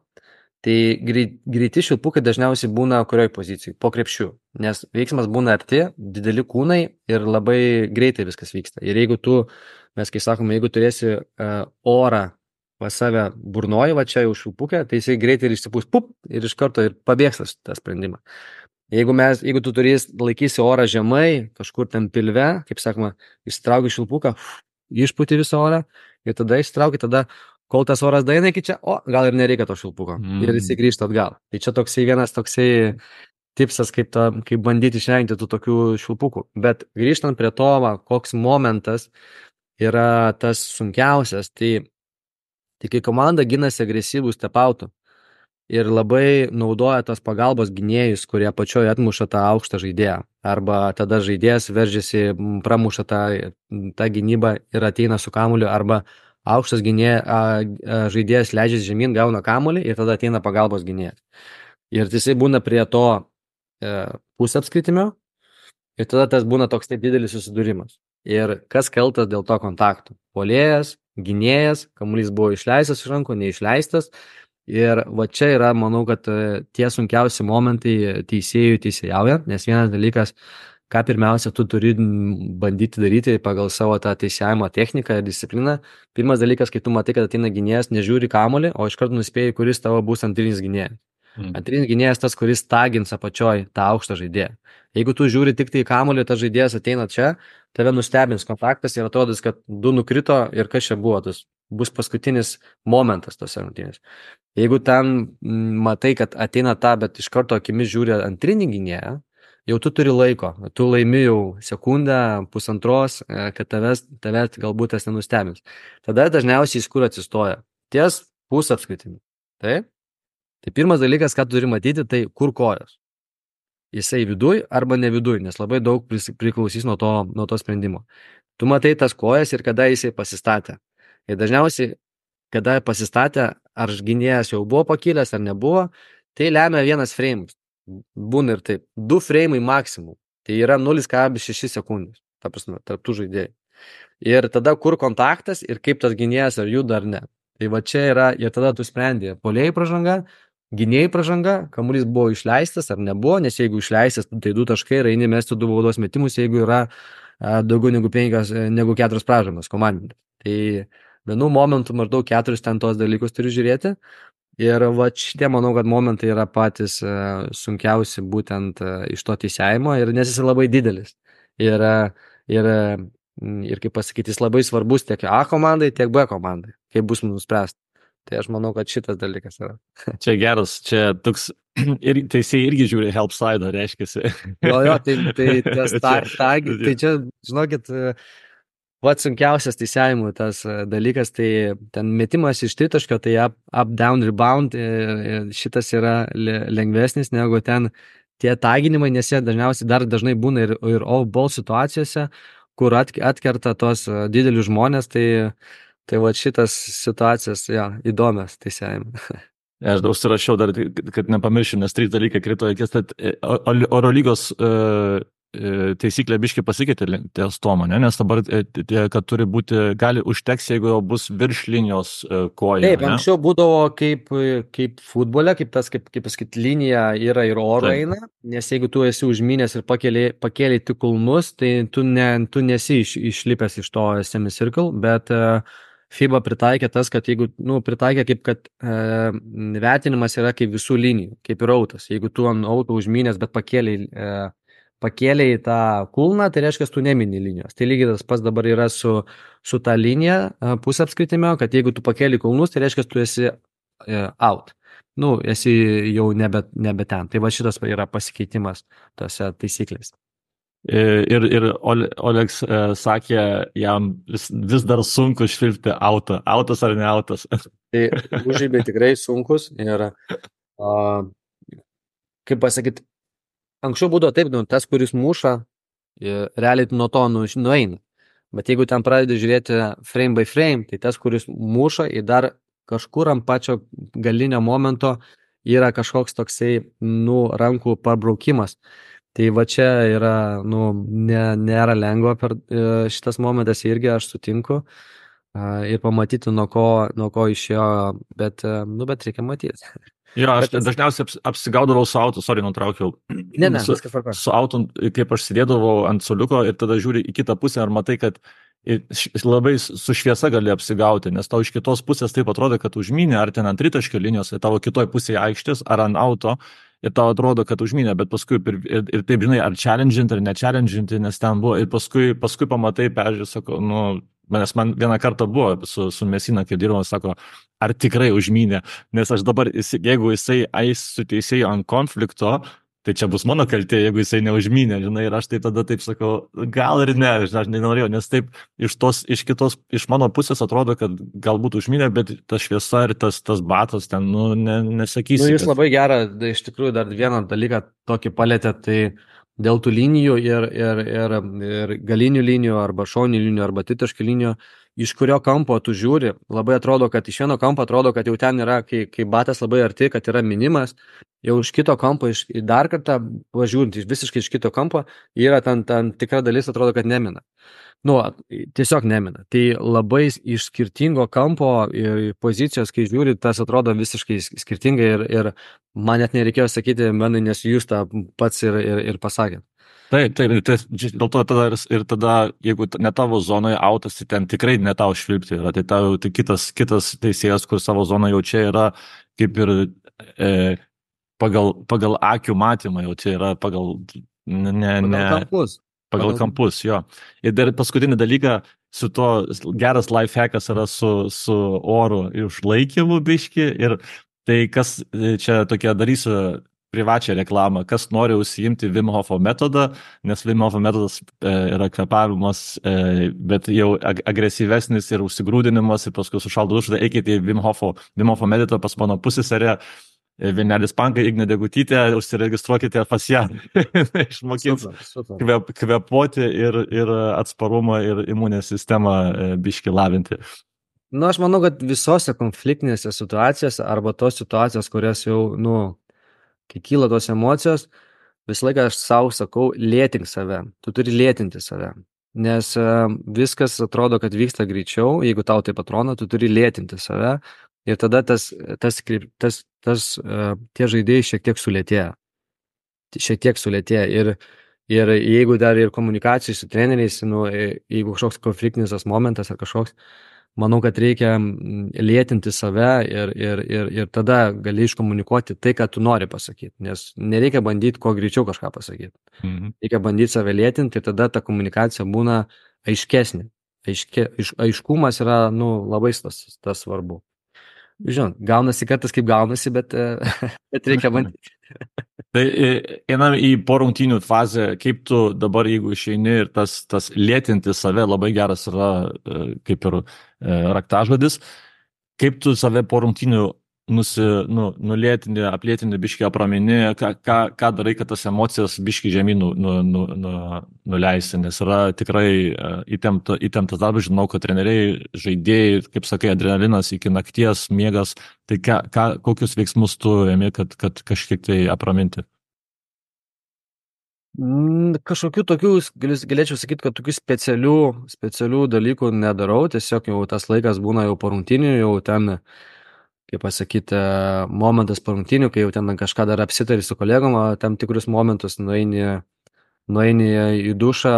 tai greit, greiti švilpukai dažniausiai būna kurioj pozicijai, po krepšiu, nes veiksmas būna arti, dideli kūnai ir labai greitai viskas vyksta. Ir jeigu tu, mes kai sakome, jeigu turėsi e, orą pas save burnoji, va čia jau švilpukę, tai jisai greitai ir išsipūs, pup, ir iš karto ir pabėgs tą sprendimą. Jeigu, mes, jeigu tu turės laikysi orą žemai, kažkur ten pilve, kaip sakoma, išsitrauki švilpuką, išpūti visą orą ir tada išsitrauki, tada, kol tas oras daina iki čia, o gal ir nereikia to švilpuko mm. ir jis grįžta atgal. Tai čia toksai vienas toksai tipsas, kaip, ta, kaip bandyti išvengti tų tokių švilpukų. Bet grįžtant prie to, va, koks momentas yra tas sunkiausias, tai, tai kai komanda ginasi agresyvų stepautų, ir labai naudoja tos pagalbos gynėjus, kurie pačioje atmuša tą aukštą žaidėją. Arba tada žaidėjas veržiasi, pramuša tą, tą gynybą ir ateina su kamuoliu, arba aukštas gynė, a, a, žaidėjas leidžiasi žemyn, gauna kamuolį ir tada ateina pagalbos gynėjas. Ir jisai būna prie to e, pusapskritimio ir tada tas būna toks taip didelis susidūrimas. Ir kas kaltas dėl to kontakto? Puolėjas, gynėjas, kamuolys buvo išleistas iš rankų, neišleistas. Ir va čia yra, manau, kad tie sunkiausi momentai teisėjų teisėjaujant, nes vienas dalykas, ką pirmiausia tu turi bandyti daryti pagal savo tą teisėjimo techniką ir discipliną. Pirmas dalykas, kai tu matai, kad ateina gynėjas, nežiūri kamuolį, o iš karto nuspėjai, kuris tavo bus antrinis gynėjas. Mm. Antrinis gynėjas tas, kuris tagins apačioj tą aukštą žaidėją. Jeigu tu žiūri tik tai kamuolį, tas žaidėjas ateina čia, tave nustebins kontaktas ir atrodys, kad du nukrito ir kas čia buvo, tas bus paskutinis momentas tos rungtynės. Jeigu ten matai, kad ateina tą, bet iš karto akimis žiūri antrinį gynėją, jau tu turi laiko, tu laimi jau sekundę, pusantros, kad tavęs, tavęs galbūt tas nenustebins. Tada dažniausiai iš kur atsistoja? Ties pusapskritimi. Taip? Tai pirmas dalykas, ką tu turi matyti, tai kur kojos. Jisai viduj arba ne viduj, nes labai daug priklausys nuo to, nuo to sprendimo. Tu matai tas kojas ir kada jisai pasistatė. Ir dažniausiai, kada pasistatė, ar gynėjas jau buvo pakilęs ar nebuvo, tai lemia vienas frames. Būna ir taip. Du frame'ai maksimum. Tai yra nulis kablelis šeši sekundės. Ta prasme, tarp tų žaidėjų. Ir tada kur kontaktas ir kaip tas gynėjas ar juda ar ne. Tai va čia yra, ir tada tu sprendi puolėjai pražanga, gynėjai pražanga, kamuolys buvo išleistas ar nebuvo, nes jeigu išleistas, tai du taškai ir eini mesti du baudos metimus, jeigu yra a, daugiau negu penkios, negu keturios pražangos komandinės. Tai vienu momentu maždaug keturis ten tos dalykus turi žiūrėti. Ir va šitie, manau, kad momentai yra patys uh, sunkiausi būtent uh, iš to teisėjimo, ir nes jis labai didelis. Ir, uh, ir, uh, ir kaip pasakyti, jis labai svarbus tiek A komandai, tiek B komandai, kaip bus nuspręsta. Tai aš manau, kad šitas dalykas yra. Čia geras, čia toks, ir teisėjai irgi žiūri help side, reiškiasi. Jo, jo, tai, tai, tas, ta, ta, tai čia, žinokit, pats sunkiausias teisėjimų tas dalykas, tai ten metimas iš tritaškio, tai up, up, down, rebound, šitas yra lengvesnis negu ten tie taginimai, nes jie dažniausiai dar dažnai būna ir, ir off-ball situacijose, kur atkerta tos didelius žmonės, tai, tai va šitas situacijas, ja, įdomias teisėjimai. Aš užsirašiau dar, kad nepamiršiu, nes trys dalykai krito akis, kad Oro lygos uh, taisyklė biškai pasikeitė ties Tomo, ne? Nes dabar, kad turi būti, gali užteks, jeigu jau bus virš linijos koja. Taip, ne? Anksčiau būdavo kaip, kaip futbole, kaip tas, kaip, kaip pasakyti, linija yra ir oro Taip. Eina, nes jeigu tu esi užminęs ir pakėliai, pakėliai tik kulnus, tai tu, ne, tu nesi iš, išlipęs iš to semicircle, bet uh, FIBA pritaikė tas, kad jeigu, nu, pritaikė kaip, kad uh, vertinimas yra kaip visų linijų, kaip ir autas. Jeigu tu ant auto užminęs, bet pakėliai uh, pakėlė į tą kulną, tai reiškia, tu nemini linijos. Tai lygiai tas pats dabar yra su, su ta linija pusė apskritime, kad jeigu tu pakėlė kulnus, tai reiškia, tu esi out. Nu, esi jau nebe, nebe ten. Tai va šitas yra pasikeitimas tose taisyklės. Ir, ir Oleks e, sakė, jam vis, vis dar sunku švilpti autą. Autas ar ne autas? Tai užžybiai tikrai sunkus ir, a, kaip pasakyti, anksčiau būdavo taip, nu, tas, kuris muša, realiai nuo to nu, nueina. Bet jeigu ten pradedi žiūrėti frame by frame, tai tas, kuris muša, į dar kažkur ant pačio galinio momento yra kažkoks toksai, nu, rankų pabraukimas. Tai va čia yra, nu, ne, nėra lengva per šitas momentas irgi, aš sutinku. Ir pamatyti, nuo ko, nuo ko išėjo, bet, nu, bet reikia matyti. Jo, aš bet, dažniausiai aps, apsigaudavau su auto, sorry, nutraukiau. Ne, ne, su, su auto, kaip aš sėdėdavau ant soliuko ir tada žiūri į kitą pusę ir matai, kad labai su šviesa gali apsigauti, nes tau iš kitos pusės taip atrodo, kad užmynė, ar ten ant tritaškio linijos, ir tavo kitoj pusėje aikštės, ar ant auto, ir tau atrodo, kad užmynė, bet paskui ir, ir, ir taip, žinai, ar challenginti, ar nechallenginti, nes ten buvo, ir paskui, paskui pamatai, peržiūrė, sako, nu, nes man vieną kartą buvo su, su Mesina, kai dirbama, sako, ar tikrai užmynė, nes aš dabar, jeigu jisai eis su teisėju ant konflikto, tai čia bus mano kaltė, jeigu jisai neužmynė, žinai, ir aš taip tada taip sakau, gal ir ne, aš nenorėjau, nes taip iš, tos, iš kitos, iš mano pusės atrodo, kad galbūt užmynė, bet ta šviesa ir tas, tas batas ten, nu, ne, nesakysi. Nu, jūs kad... labai gerą, iš tikrųjų, dar vieną dalyką tokį palėtė, tai dėl tų linijų ir, ir, ir, ir galinių linijų, arba šoninių linijų, arba tritaškių linijų, iš kurio kampo tu žiūri, labai atrodo, kad iš vieno kampo atrodo, kad jau ten yra, kai, kai batas labai arti, kad yra minimas, jau iš kito kampo, iš, dar kartą važiuojant visiškai iš kito kampo, yra ten, ten tikra dalis, atrodo, kad nemina. Nu, tiesiog nemina. Tai labai iš skirtingo kampo ir pozicijos, kai žiūri, tas atrodo visiškai skirtingai ir, ir man net nereikėjo sakyti, manai, nes jūs tą pats ir, ir, ir pasakėt. Taip, taip, tai, dėl to tada ir, ir tada, jeigu ne tavo zonoje autas, tai ten tikrai ne tau švilpti yra, tai tau tai kitas, kitas teisėjas, kur savo zoną jau čia yra kaip ir e, pagal, pagal akių matymą, jau čia yra pagal, ne, ne, pagal kampus. Pagal kampus, jo. Ir dar paskutinį dalyką, su to geras lifehackas yra su, su oru išlaikymu biški, ir tai kas čia tokia darysiu privačią reklamą, kas nori užsiimti Wim Hofo metodą, nes Wim Hofo metodas e, yra kvepavimas, e, bet jau ag agresyvesnis ir užsigrūdinimas, ir paskui sušaldo dušą, eikite į Wim Hofo, Wim Hofo metodą pas mano pusėserę, Vienelis Pankai, Ignė Degutytė, užsiregistruokite pas ją, išmokins kvep, kvepuoti ir, ir atsparumą ir imuninę sistemą biški lavinti. Nu, aš manau, kad visose konfliktinėse situacijose arba tos situacijos, kurias jau, nu, kai kyla tos emocijos, visą laiką aš savo sakau, lėtink save, tu turi lėtinti save, nes uh, viskas atrodo, kad vyksta greičiau, jeigu tau taip atrodo, tu turi lėtinti save. Ir tada tas, tas, tas, tas, uh, tie žaidėjai šiek tiek sulėtėja. Šiek tiek sulėtėja. Ir, ir jeigu dar ir komunikacijai su treneriais, nu, jeigu kažkoks konfliktinis tas momentas ar kažkoks, manau, kad reikia mm, lėtinti save ir, ir, ir, ir tada gali iškomunikuoti tai, ką tu nori pasakyti, nes nereikia bandyti kuo greičiau kažką pasakyti. Mhm. Reikia bandyti save lėtinti ir tada ta komunikacija būna aiškesnė. Aiške, aiš, aiškumas yra nu, labai tas, tas svarbu. Žinot, gaunasi kartais kaip gaunasi, bet, bet reikia bandyti. Tai einam į porungtinių fazę, kaip tu dabar, jeigu išeini ir tas, tas lėtinti save labai geras yra kaip ir raktažodis, kaip tu save porungtinių nusi, nu, nulėtini, aplėtini, biškį apramini, ką, ką, ką darai, kad tas emocijas biškį žemyn nu, nu, nu, nu, nuleisti, nes yra tikrai įtempta, įtemptas darbas, žinau, kad treneriai, žaidėjai, kaip sakai, adrenalinas iki nakties, miegas, tai ką, ką, kokius veiksmus tu ėmi, kad, kad kažkiek tai apraminti? Kažkokių tokių, galėčiau sakyti, kad tokių specialių, specialių dalykų nedarau, tiesiog jau tas laikas būna jau po rungtynių, jau ten kaip pasakyti, momentas po rungtynių, kai jau ten kažką dar apsitari su kolegom, tam tikrus momentus nueini, nueini į dušą,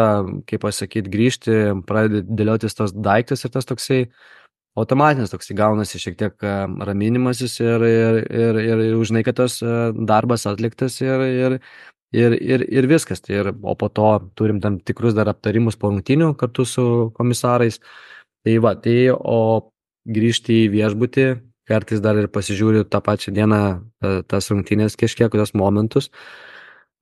kaip pasakyti, grįžti, pradedi dėliotis tos daiktus ir tas toksai automatinis toksai gaunasi šiek tiek raminimasis ir, ir, ir, ir, ir užnai, kad tas darbas atliktas ir, ir, ir, ir, ir viskas. Tai ir, o po to turim tam tikrus dar aptarimus po rungtynių kartu su komisarais. Tai va, tai o grįžti į viešbutį, kartais dar ir pasižiūriu tą pačią dieną tas rungtynės kažkiek, tos momentus,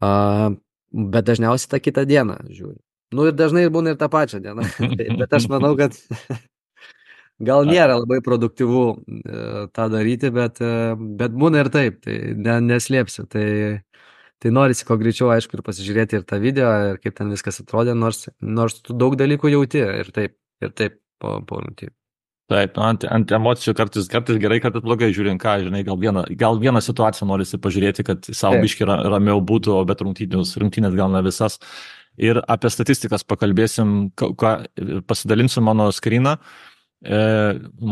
uh, bet dažniausiai tą kitą dieną žiūriu. Nu ir dažnai būna ir tą pačią dieną, bet aš manau, kad gal nėra labai produktyvu uh, tą daryti, bet, uh, bet būna ir taip, tai ne, neslėpsiu. Tai, tai norisi ko greičiau, aišku, ir pasižiūrėti ir tą video, ir kaip ten viskas atrodė, nors, nors tu daug dalykų jauti ir taip, ir taip po, po rungtynių. Taip, nu, ant, ant emocijų kartais, kartais gerai, kartais blogai žiūrint, ką, žinai, gal vieną, gal vieną situaciją norisi pažiūrėti, kad savo biškį ramiau būtų, o bet rungtynės, rungtynės gal ne visas. Ir apie statistikas pakalbėsim, ką, pasidalinsiu mano skryną, e,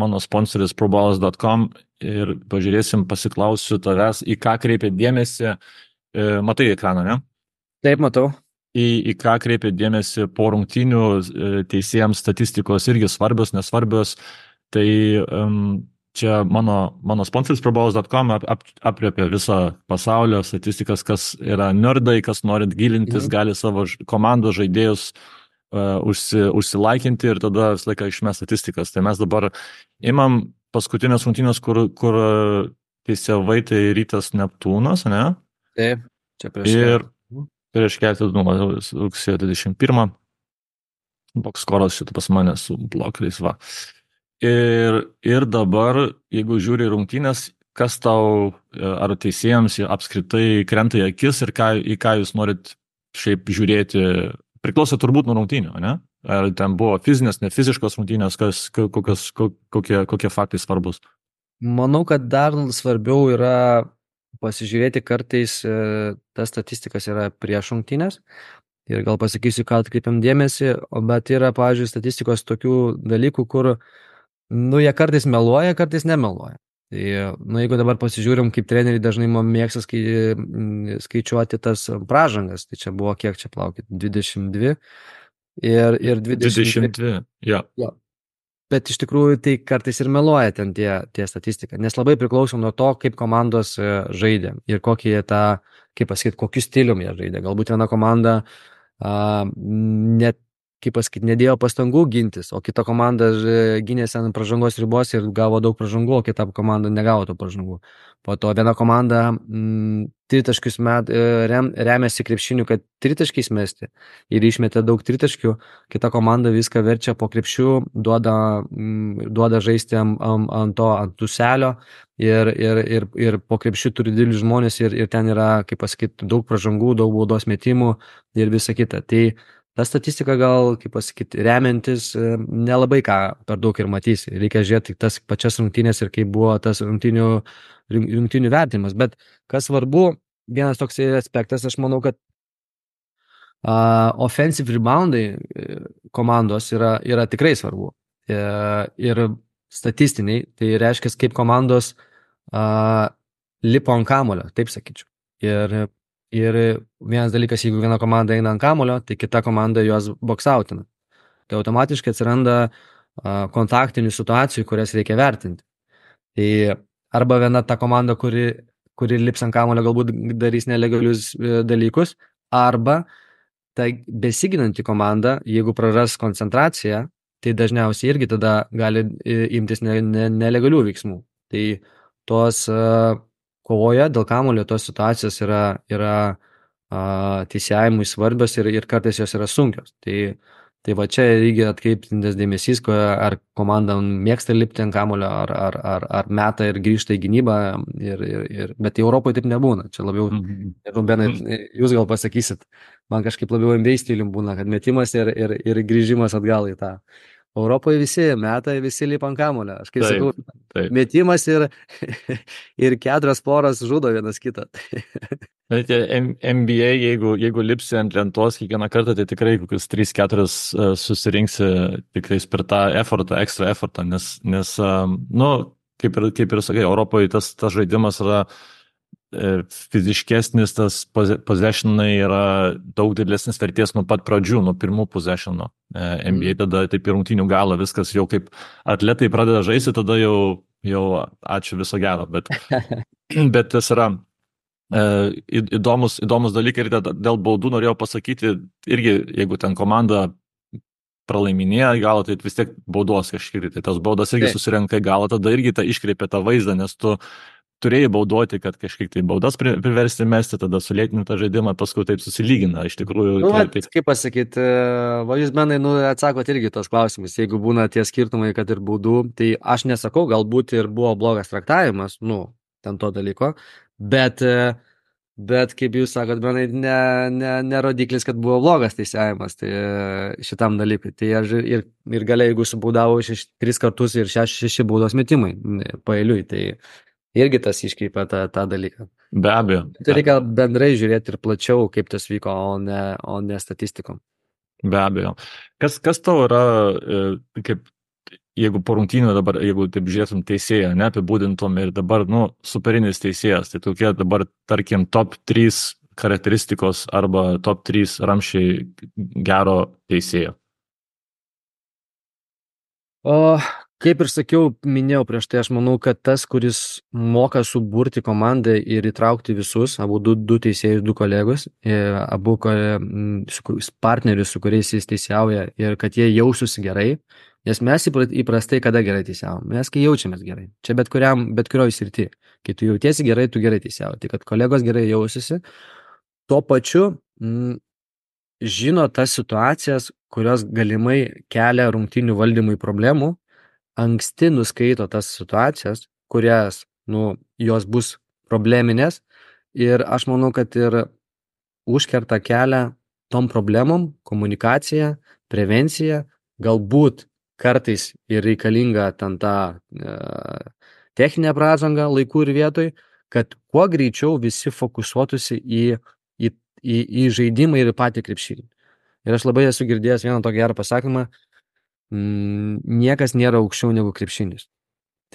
mano sponsoris proballas taškas com ir pažiūrėsim, pasiklausiu tavęs, į ką kreipia dėmesį, e, matai ekraną, ne? Taip, matau. Į, į ką kreipia dėmesį po rungtynių teisėjams statistikos irgi svarbios, nesvarbios. Tai um, čia mano, mano sponsoris proballas taškas com ap, ap, apriepia visą pasaulio statistikas, kas yra nerdai, kas norit gilintis, mhm. gali savo komandos žaidėjus uh, užsi, užsilaikinti ir tada visą laiką išmes statistikas. Tai mes dabar imam paskutinės rungtynės, kur, kur teisėjai tai Rytas Neptūnas, ne? Taip, čia prieš. Ir prieš keletą dienų, rugsėjo dvidešimt pirmą, bokskoras šitą pas mane su blokais, va. Ir, ir dabar, jeigu žiūri rungtynės, kas tau, ar teisėjams apskritai krenta į akis ir ką, į ką jūs norit šiaip žiūrėti, priklauso turbūt nuo rungtynių, ne? Ar ten buvo fizinės, ne fiziškos rungtynės, kas, kokios, kokie, kokie faktai svarbus? Manau, kad dar svarbiau yra pasižiūrėti kartais, tas statistikas yra prieš rungtynės. Ir gal pasakysiu, ką atkreipiam dėmesį, bet yra, pavyzdžiui, statistikos tokių dalykų, kur nu, jie kartais meluoja, kartais nemeluoja. Tai, nu, jeigu dabar pasižiūrim, kaip treneriai dažnai mėgsta skai, skaičiuoti tas pražangas, tai čia buvo kiek čia plaukit, dvidešimt dvi ir, ir dvidešimt dvi, jo. jo. Bet iš tikrųjų tai kartais ir meluoja ten tie, tie statistika, nes labai priklauso nuo to, kaip komandos žaidė ir kokį tą, kaip pasakyti, kokiu stilium jie žaidė. Galbūt viena komanda a, net kaip pasakyti, nedėjo pastangų gintis, o kita komanda gynėsi ant pražangos ribos ir gavo daug pražangų, o kita komanda negavo tų pražangų. Po to viena komanda mm, tritaškius met, rem, remiasi krepšiniu, kad tritaškiais mesti ir išmetė daug tritaškių, kita komanda viską verčia po krepšiu, duoda, mm, duoda žaisti ant, ant to, ant tuselio ir, ir, ir, ir po krepšiu turi didelius žmonės ir, ir ten yra, kaip pasakyti, daug pražangų, daug baudos metimų ir visa kita. Tai ta statistika gal, kaip pasakyti, remiantis, nelabai ką per daug ir matysi. Reikia žiūrėti tas pačias rungtynės ir kaip buvo tas rungtynių, rungtynių vertimas. Bet kas svarbu, vienas toks aspektas, aš manau, kad uh, offensive reboundai komandos yra, yra tikrai svarbu. Uh, ir statistiniai, tai reiškia, kaip komandos uh, lipo ant kamulio, taip sakyčiau. Ir Ir vienas dalykas, jeigu viena komanda eina ant kamulio, tai kita komanda juos boksautina. Tai automatiškai atsiranda kontaktinių situacijų, kurias reikia vertinti. Tai arba viena ta komanda, kuri, kuri lips ant kamuolio, galbūt darys nelegalius dalykus, arba ta besiginanti komanda, jeigu praras koncentraciją, tai dažniausiai irgi tada gali imtis ne, ne, nelegalių veiksmų. Tai tos uh, kovoje dėl kamuolio tos situacijos yra, yra uh, teisėjimui svarbios ir, ir kartais jos yra sunkios. Tai Tai va čia reikia atkreiptintis dėmesys, ar komanda mėgsta lipti ant kamulio, ar, ar, ar, ar meta ir grįžta į gynybą, ir, ir, ir, bet Europoje taip nebūna. Čia labiau, mm-hmm. Benai, jūs gal pasakysit, man kažkaip labiau N B A stilium būna, kad metimas ir, ir, ir grįžimas atgal į tą. Europoje visi meta, visi lipa ant kamulio. Aš kaip taip, sakau, taip. Metimas ir, ir keturios poros žudo vienas kitą. Bet N B A, jeigu, jeigu lipsi ant lentos kiekvieną kartą, tai tikrai kokius trys keturis susirinksi tikrai per tą effortą, ekstra effortą, nes, nes nu, kaip ir, kaip ir sakai, Europoje tas, tas žaidimas yra fiziškesnis, tas possessionai yra daug didesnis vertės nuo pat pradžių, nuo pirmų possessionų. N B A tada taip ir rungtynių galo viskas jau kaip atletai pradeda žaisti, tada jau, jau ačiū viso gero, bet, bet tas yra įdomus, įdomus dalykai ir dėl baudų norėjau pasakyti, irgi jeigu ten komanda pralaiminėja į galą, tai vis tiek baudos kažkiek, tai tas baudas irgi susirenka į galą, tada irgi tą iškreipia tą vaizdą, nes tu turėjai baudoti, kad kažkiek tai baudas priversti mesti, tada sulėtinti tą žaidimą, paskui taip susilygina, iš tikrųjų. Nu, tai, taip... Kaip pasakyti, va jūs benai, nu, atsakot irgi tos klausimus, jeigu būna tie skirtumai, kad ir baudų, tai aš nesakau, galbūt ir buvo blogas traktavimas, nu, ten to dalyko, bet, bet kaip jūs sakot, benai, ne, ne, ne rodiklis, kad buvo blogas teisėjimas tai, šitam dalykui. Tai aš ir, ir galiai, jeigu subaudavo šeš, tris kartus ir šeši, šeši baudos metimai paeiliui, tai irgi tas iškreipia tą, tą dalyką. Be abejo. Tai reikia bendrai žiūrėti ir plačiau, kaip tas vyko, o ne, o ne statistikom. Be abejo. Kas, kas tau yra, kaip, jeigu po rungtynių dabar, jeigu taip žiūrėtum teisėją, neapibūdintum ir dabar, nu, superinis teisėjas, tai tokie dabar, tarkim, top trys charakteristikos arba top trys ramščiai gero teisėjo? O... Kaip ir sakiau, minėjau prieš tai, aš manau, kad tas, kuris moka suburti komandą ir įtraukti visus, abu du, du teisėjus, du kolegos, abu partnerius, su kuriais jis teisėjauja, ir kad jie jaustųsi gerai, nes mes įprastai kada gerai teisėjavom, mes kai jaučiamės gerai, čia bet, kuriam, bet kurioj srity, kai tu jautiesi gerai, tu gerai teisėjauji, tai kad kolegos gerai jausiasi, tuo pačiu m, žino tas situacijas, kurios galimai kelia rungtynių valdymui problemų, anksti nuskaito tas situacijas, kurias, nu, jos bus probleminės ir aš manau, kad ir užkerta kelią tom problemom, komunikacija, prevencija, galbūt kartais ir reikalinga ten ta e, techninė pražanga laikų ir vietoj, kad kuo greičiau visi fokusuotųsi į, į, į, į žaidimą ir į patį krepšinį. Ir aš labai esu girdėjęs vieną tokį gerą pasakymą, niekas nėra aukščiau negu krepšinis.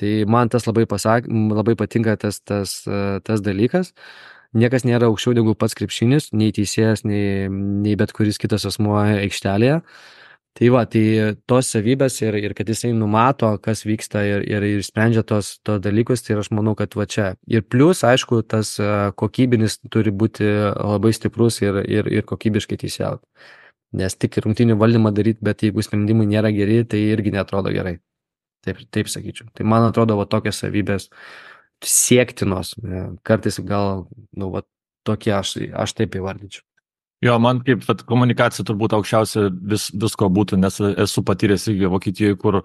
Tai man tas labai, pasak, labai patinka tas, tas, tas dalykas. Niekas nėra aukščiau negu pats krepšinis, nei teisėjas, nei, nei bet kuris kitas asmuo aikštelėje. Tai va, tai tos savybės ir, ir kad jisai numato, kas vyksta ir, ir, ir sprendžia tos, tos dalykus, tai aš manau, kad va čia. Ir plus, aišku, tas kokybinis turi būti labai stiprus ir, ir, ir kokybiškai teisėjauti. Nes tik rungtynių valdymą daryti, bet jeigu sprendimai nėra geri, tai irgi netrodo gerai. Taip, taip sakyčiau. Tai man atrodo, va tokios savybės siektinos. Kartais gal, nu, va tokie aš, aš taip įvardyčiau. Jo, man kaip vat, komunikacija turbūt aukščiausia vis, visko būtų, nes esu patyręs irgi Vokietijoje, kur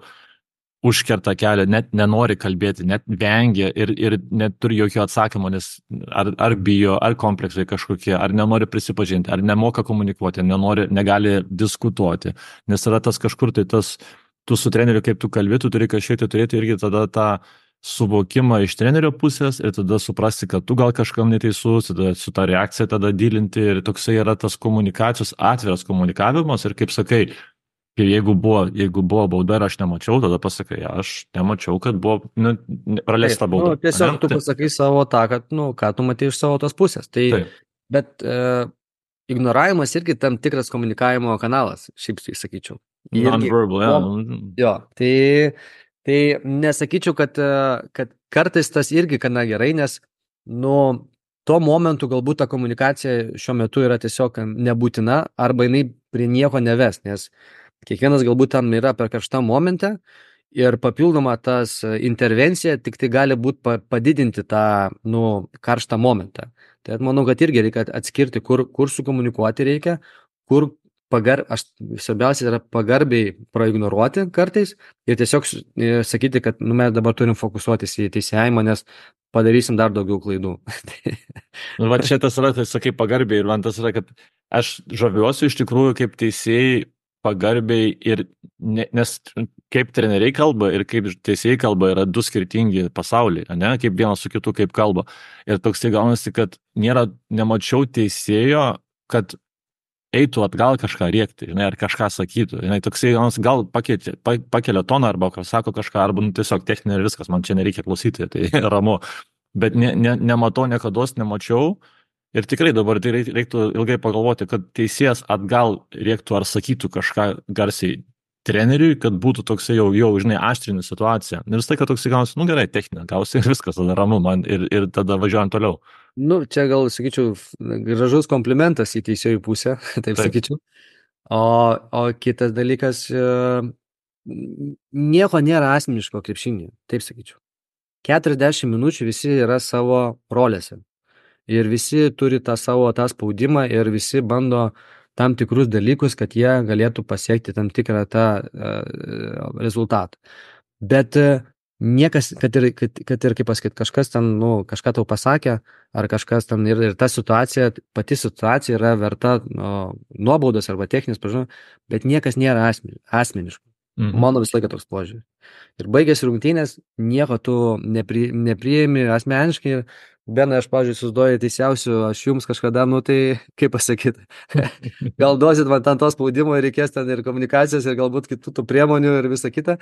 užkerta kelią, net nenori kalbėti, net vengia ir, ir neturi jokio atsakymo, nes ar, ar bijo, ar kompleksai kažkokie, ar nenori prisipažinti, ar nemoka komunikuoti, nenori, negali diskutuoti, nes yra tas kažkur, tai tas, tu su treneriu, kaip tu kalbi, tu turi kažkiek tai turėti irgi tada tą suvokimą iš trenerio pusės ir tada suprasti, kad tu gal kažkam neteisus, tada su tą reakciją tada dylinti ir toksai yra tas komunikacijos, atviras komunikavimas ir kaip sakai, ir jeigu buvo, jeigu buvo bauda ir aš nemačiau, tada pasakai, aš nemačiau, kad buvo nu, praleista bauda. Nu, tiesiog ne? Tu pasakai savo tą, kad, nu, ką tu matai iš savo tos pusės. Tai, Taip. Bet e, ignoravimas irgi tam tikras komunikavimo kanalas, šiaip tai sakyčiau. Irgi, Non-verbal, ja. mom, jo, tai, tai nesakyčiau, kad, e, kad kartais tas irgi gana gerai, nes, nu, tuo momentu galbūt ta komunikacija šiuo metu yra tiesiog nebūtina arba jinai prie nieko neves, nes kiekvienas galbūt tam yra per karštą momentą ir papildoma tas intervencija tik tai gali būti padidinti tą, nu, karštą momentą. Tai manau, kad irgi reikia atskirti, kur, kur sukomunikuoti reikia, kur pagar, aš svarbiausia yra pagarbiai praignoruoti kartais ir tiesiog e, sakyti, kad nu, mes dabar turim fokusuotis į teisėjimą, nes padarysim dar daugiau klaidų. Nu, va čia tas yra, tai sakai pagarbiai ir man tas yra, kad aš žaviuosi iš tikrųjų kaip teisėjai pagarbiai ir, ne, nes kaip treneriai kalba ir kaip teisėjai kalba yra du skirtingi pasauliai, ne, kaip vienas su kitu kaip kalba. Ir toks tai gaunasi, kad nėra, nemačiau teisėjo, kad eitų atgal kažką rėkti, žinai, ar kažką sakytų. Žinai, toksai gal pakeitė, pakelia toną arba sako kažką, arba nu, tiesiog techninė ir viskas, man čia nereikia klausyti, tai ramu. Bet ne, ne, nematau, niekados nemačiau. Ir tikrai dabar tai reiktų ilgai pagalvoti, kad teisėjas atgal rėktų ar sakytų kažką garsiai treneriui, kad būtų toksai jau, jau žinai, aštrinė situacija. Ir vis tai, kad toksai gausi, nu gerai, techninė, gausi ir viskas, tada ramu man ir, ir tada važiuojant toliau. Nu, čia gal, sakyčiau, gražus komplimentas į teisėjų pusę, taip, taip. sakyčiau. O, o kitas dalykas, nieko nėra asmeniško krepšinį, taip sakyčiau. keturiasdešimt minučių visi yra savo rolėse. Ir visi turi tą savo tą spaudimą ir visi bando tam tikrus dalykus, kad jie galėtų pasiekti tam tikrą tą uh, rezultatą. Bet uh, niekas, kad ir, kad, kad ir kaip pasakyti, kažkas ten, nu, kažką tau pasakė, ar kažkas ten ir, ir ta situacija, pati situacija yra verta nu, nuobaudos arba techninės pažymos, bet niekas nėra asmeni, asmeniško. Mhm. Mano visą laiką toks požiūris. Ir baigėsi rungtynės, nieko tu nepri, nepriimi asmeniškai ir Benai, aš, pavyzdžiui, susiduoju teisiausiu, aš jums kažkada, nu tai, kaip pasakyti, gal duosit man ten to spaudimo ir reikės ten ir komunikacijos ir galbūt kitų tų priemonių ir visa kita,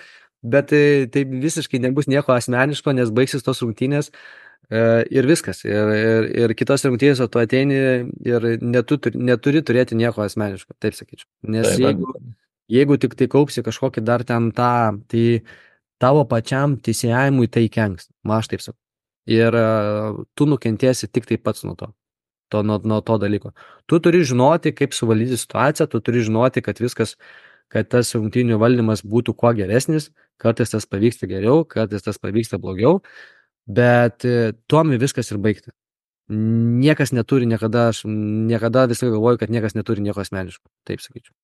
bet tai, tai visiškai nebus nieko asmeniško, nes baigsis tos rungtynės e, ir viskas. Ir, ir, ir kitos rungtynės, o tu ateini ir netu, neturi turėti nieko asmeniško, taip sakyčiau. Nes taip, jeigu, jeigu tik tai kaupsi kažkokį dar ten tą, tai tavo pačiam teisėjimui tai kenks, ma aš taip sakau. Ir uh, tu nukentėsi tik tai pats nuo to, to nuo, nuo to dalyko. Tu turi žinoti, kaip suvaldyti situaciją, tu turi žinoti, kad viskas, kad tas rungtynių valdymas būtų kuo geresnis, kartais tas pavyksta geriau, kartais tas pavyksta blogiau, bet uh, tuomi viskas ir baigta. Niekas neturi niekada, aš niekada visai galvoju, kad niekas neturi nieko asmeniško, taip sakyčiau.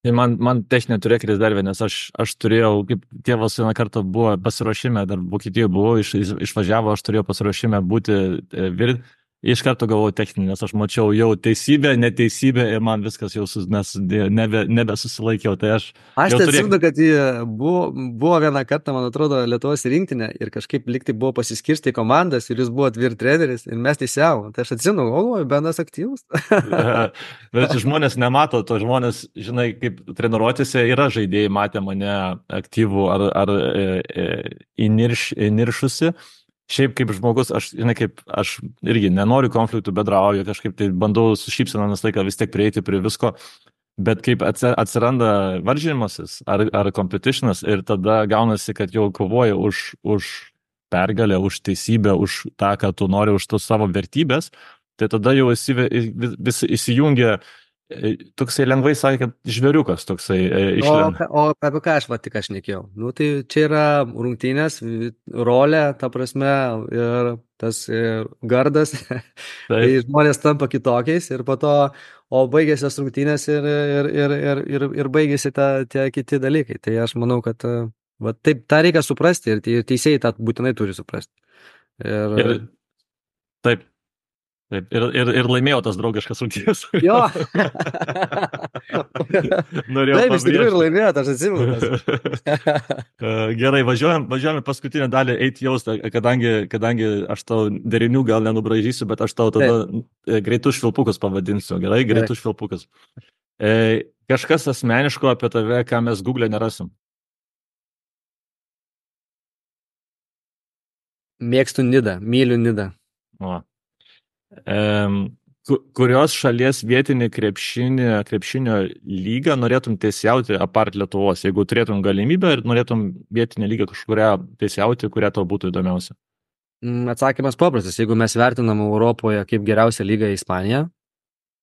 Tai man, man techninė turėjo kris dar vienas, aš, aš turėjau, kaip tėvas vieną kartą buvo pasiruošime, dar Vokietijoje buvau, iš, išvažiavo, aš turėjau pasiruošime būti virt, iš karto galvojau techninį, nes aš mačiau jau teisybę, neteisybę ir man viskas jau sus, nes nebe, nebesusilaikiau. Tai aš aš tai atsimenu, turėk... kad buvo, buvo vieną kartą, man atrodo, Lietuvos rinktinė ir kažkaip liktai buvo pasiskirsti komandas ir jūs buvot vyr treneris ir mes teisėvom. Tai aš atsimenu, o, Benas aktyvus. Bet žmonės nemato to, žmonės, žinai, kaip treniruotėse yra žaidėjai, matė mane aktyvų ar, ar e, e, įnirš, įniršusi. Šiaip kaip žmogus, aš, žinai, kaip aš irgi nenoriu konfliktų, bedrauju, kažkaip tai bandau su šypsena nes laiką vis tiek prieiti prie visko, bet kaip atsiranda varžymasis ar, ar competitionas ir tada gaunasi, kad jau kovoji už, už pergalę, už teisybę, už tą, ką tu nori, už tos savo vertybės, tai tada jau esi, vis, vis įsijungia toksai lengvai sakė, kad žvėriukas toksai išlenda. O, o apie ką aš va tik aš nekėjau? Nu, tai čia yra rungtynės, rolė, ta prasme, ir tas ir gardas. Tai žmonės tampa kitokiais ir po to, o baigėsi tas rungtynės ir, ir, ir, ir, ir, ir baigėsi ta, tie kiti dalykai. Tai aš manau, kad va, taip, tą reikia suprasti ir teisėjai tą būtinai turi suprasti. Ir, ir taip. Taip, ir, ir, ir laimėjau tas draugiškas rungtynės. Jo. Norėjau taip, iš tikrųjų ir laimėjau, aš atsimenu. Gerai, važiuojam, važiuojam paskutinę dalį eiti jaustą, kadangi, kadangi aš tau derinių gal nenubražysiu, bet aš tau tada taip. Greitus švilpukus pavadinsiu. Gerai, greitus švilpukus. E, kažkas asmeniško apie tave, ką mes Google nerasim. Mėgstu Nidą, myliu Nidą. O. Um, ku- kurios šalies vietinį krepšinį, krepšinio lygą norėtum teisėjauti apart Lietuvos? Jeigu turėtum galimybę ir norėtum vietinę lygą kažkurią teisėjauti, kurią tau būtų įdomiausia? Mm, Atsakymas paprastas. Jeigu mes vertinam Europoje kaip geriausią lygą Ispaniją,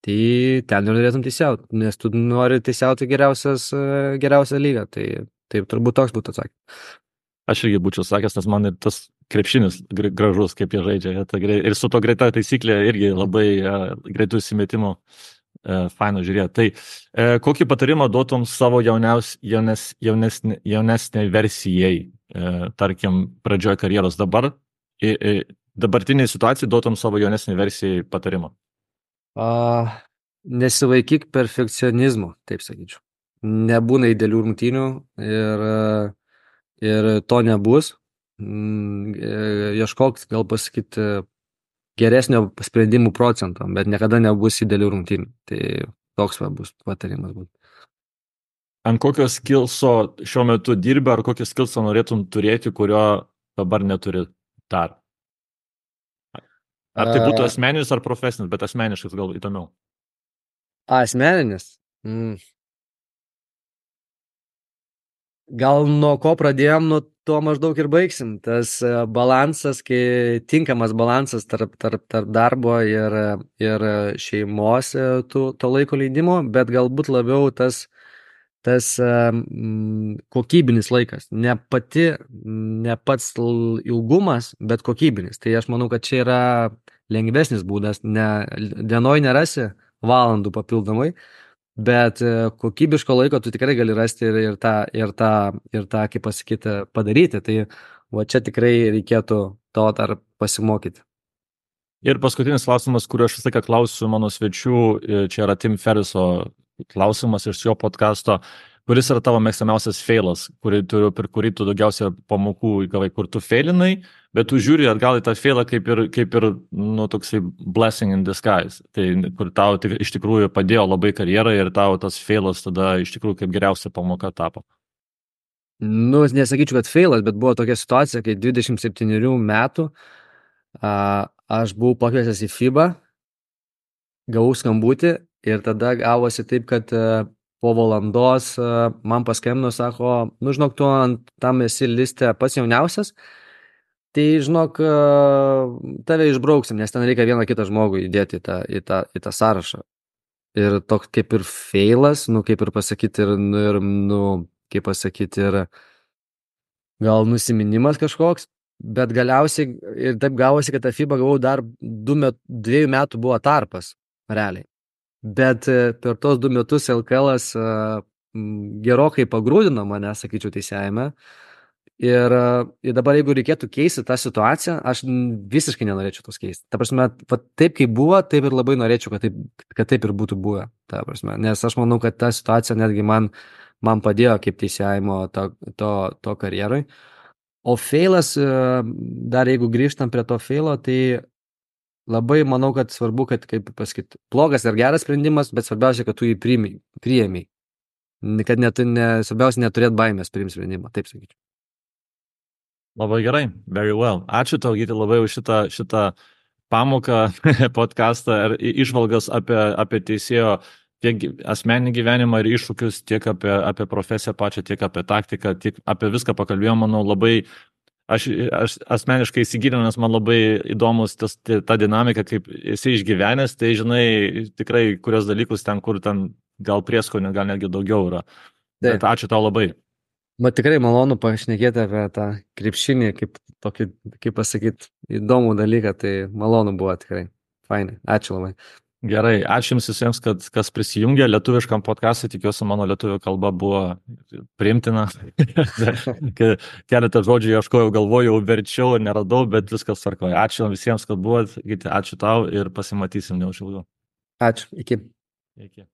tai ten ir norėtum teisiauti, nes tu nori teisiauti geriausias, e, geriausią lygą. Tai taip turbūt toks būtų atsakymas. Aš irgi būčiau sakęs, nes man ir tas krepšinis gra- gražus, kaip jie žaidžia. jie ta grei- Ir su to greita taisyklė irgi labai uh, greitų įsimetimų uh, faino žiūrėti. Tai uh, kokį patarimą duotum savo jauniaus, jaunes, jaunesnė, jaunesnė versijai, uh, tarkim, pradžioje karjeros dabar, i, i, dabartiniai situacijai duotum savo jaunesnė versijai patarimą? A, nesivaikyk perfekcionizmo, taip sakyčiau. Nebūna idealių rungtynių ir, e, ir to nebus. Mm, e, Ieškok, gal pasakyti, geresnio sprendimų procento, bet niekada nebus idealių rungtynių. Tai toks va bus patarimas būtų. Ant kokio skilso šiuo metu dirbi, ar kokį skilsą norėtum turėti, kurio dabar neturi dar? Ar tai būtų A, asmeninis ar profesinis, bet asmeniškas gal įdomiau. asmeninis. Mm. Gal nuo ko pradėjom, nuo to maždaug ir baigsim. Tas e, balansas, kai tinkamas balansas tarp, tarp, tarp darbo ir, ir šeimos e, tų, to laiko leidimo, bet galbūt labiau tas, tas e, mm, kokybinis laikas. Ne pati, ne pats l- ilgumas, bet kokybinis. Tai aš manau, kad čia yra lengvesnis būdas. Ne, dienoj nerasi valandų papildomai, bet e, kokybiško laiko tu tikrai gali rasti ir, ir, tą, ir, tą, ir tą, kaip pasakyti, padaryti. Tai va čia tikrai reikėtų to dar pasimokyti. Ir paskutinis klausimas, kurį aš visą laiką klausiu mano svečių, e, čia yra Tim Ferriso klausimas iš jo podcasto, kuris yra tavo mėgstamiausias feilas, kurį tu, per kurį tu daugiausia pamokų įgavai, kur tu feilinai, bet tu žiūri atgal į tą feilą kaip ir, kaip ir nu, toksai blessing in disguise. Tai kur tau tik, iš tikrųjų padėjo labai karjerai ir tau tas feilas tada iš tikrųjų kaip geriausia pamoka tapo. Nu, nesakyčiau, kad feilas, bet buvo tokia situacija, kai dvidešimt septynerių metų a, aš buvau pakviesęs į FIBA, gavau skambutį ir tada gavosi taip, kad e, po valandos e, man paskambino, sako, nu žinok, tu ant tam esi liste pats jauniausias, tai žinok, e, tave išbrauksim, nes ten reikia vieną kitą žmogų įdėti į tą, į tą, į tą sąrašą. Ir toks kaip ir feilas, nu kaip ir pasakyti, ir, nu, ir, nu, kaip pasakyti, ir gal nusiminimas kažkoks, bet galiausiai ir taip gavosi, kad tą FIBA gavau dar du met, dviejų metų buvo tarpas, realiai. Bet e, per tos du metus L K L-as e, m, gerokai pagrūdino mane, sakyčiau, teisėjame. Ir, e, ir dabar, jeigu reikėtų keisti tą situaciją, aš n- visiškai nenorėčiau tos keisti. Ta prasme, va, taip kaip buvo, taip ir labai norėčiau, kad taip, kad taip ir būtų buvę. Ta prasme, nes aš manau, kad ta situacija netgi man, man padėjo kaip teisėjimo to, to, to karjeroj. O feilas, e, dar jeigu grįžtam prie to feilo, tai labai manau, kad svarbu, kad, kaip pasakyti, blogas ar geras sprendimas, bet svarbiausia, kad tu jį priimi, priėmei. Kad net, ne, svarbiausia neturėt baimės priimti sprendimą, taip sakyčiau. Labai gerai, very well. Ačiū tau, Gyti, labai už šitą, šitą pamoką, podcastą ir i- išvalgas apie, apie teisėjo tiek gy- asmeninį gyvenimą ir iššūkius, tiek apie, apie profesiją pačią, tiek apie taktiką, tiek apie viską pakalbėjom, manau, labai. Aš, aš asmeniškai įsigilinau, nes man labai įdomus tas, ta dinamika, kaip esi išgyvenęs, tai žinai tikrai kurios dalykus ten, kur ten gal prieskonio, gal netgi daugiau yra. Bet Taip. ačiū tau labai. Man tikrai malonu pašnekėti apie tą krepšinį, kaip tokį, kaip pasakyti, įdomų dalyką, tai malonu buvo tikrai. Fainai, ačiū labai. Gerai, ačiū Jums visiems, kad kas prisijungė lietuviškam podcast'ui, tikiuosi mano lietuvių kalba buvo priimtina. Ke- Keletą žodžių ieškojau, galvojau, verčiau, neradau, bet viskas tvarkoja. Ačiū visiems, kad buvot, Gyti, ačiū tau ir pasimatysim neužilgo. Ačiū, iki. Iki.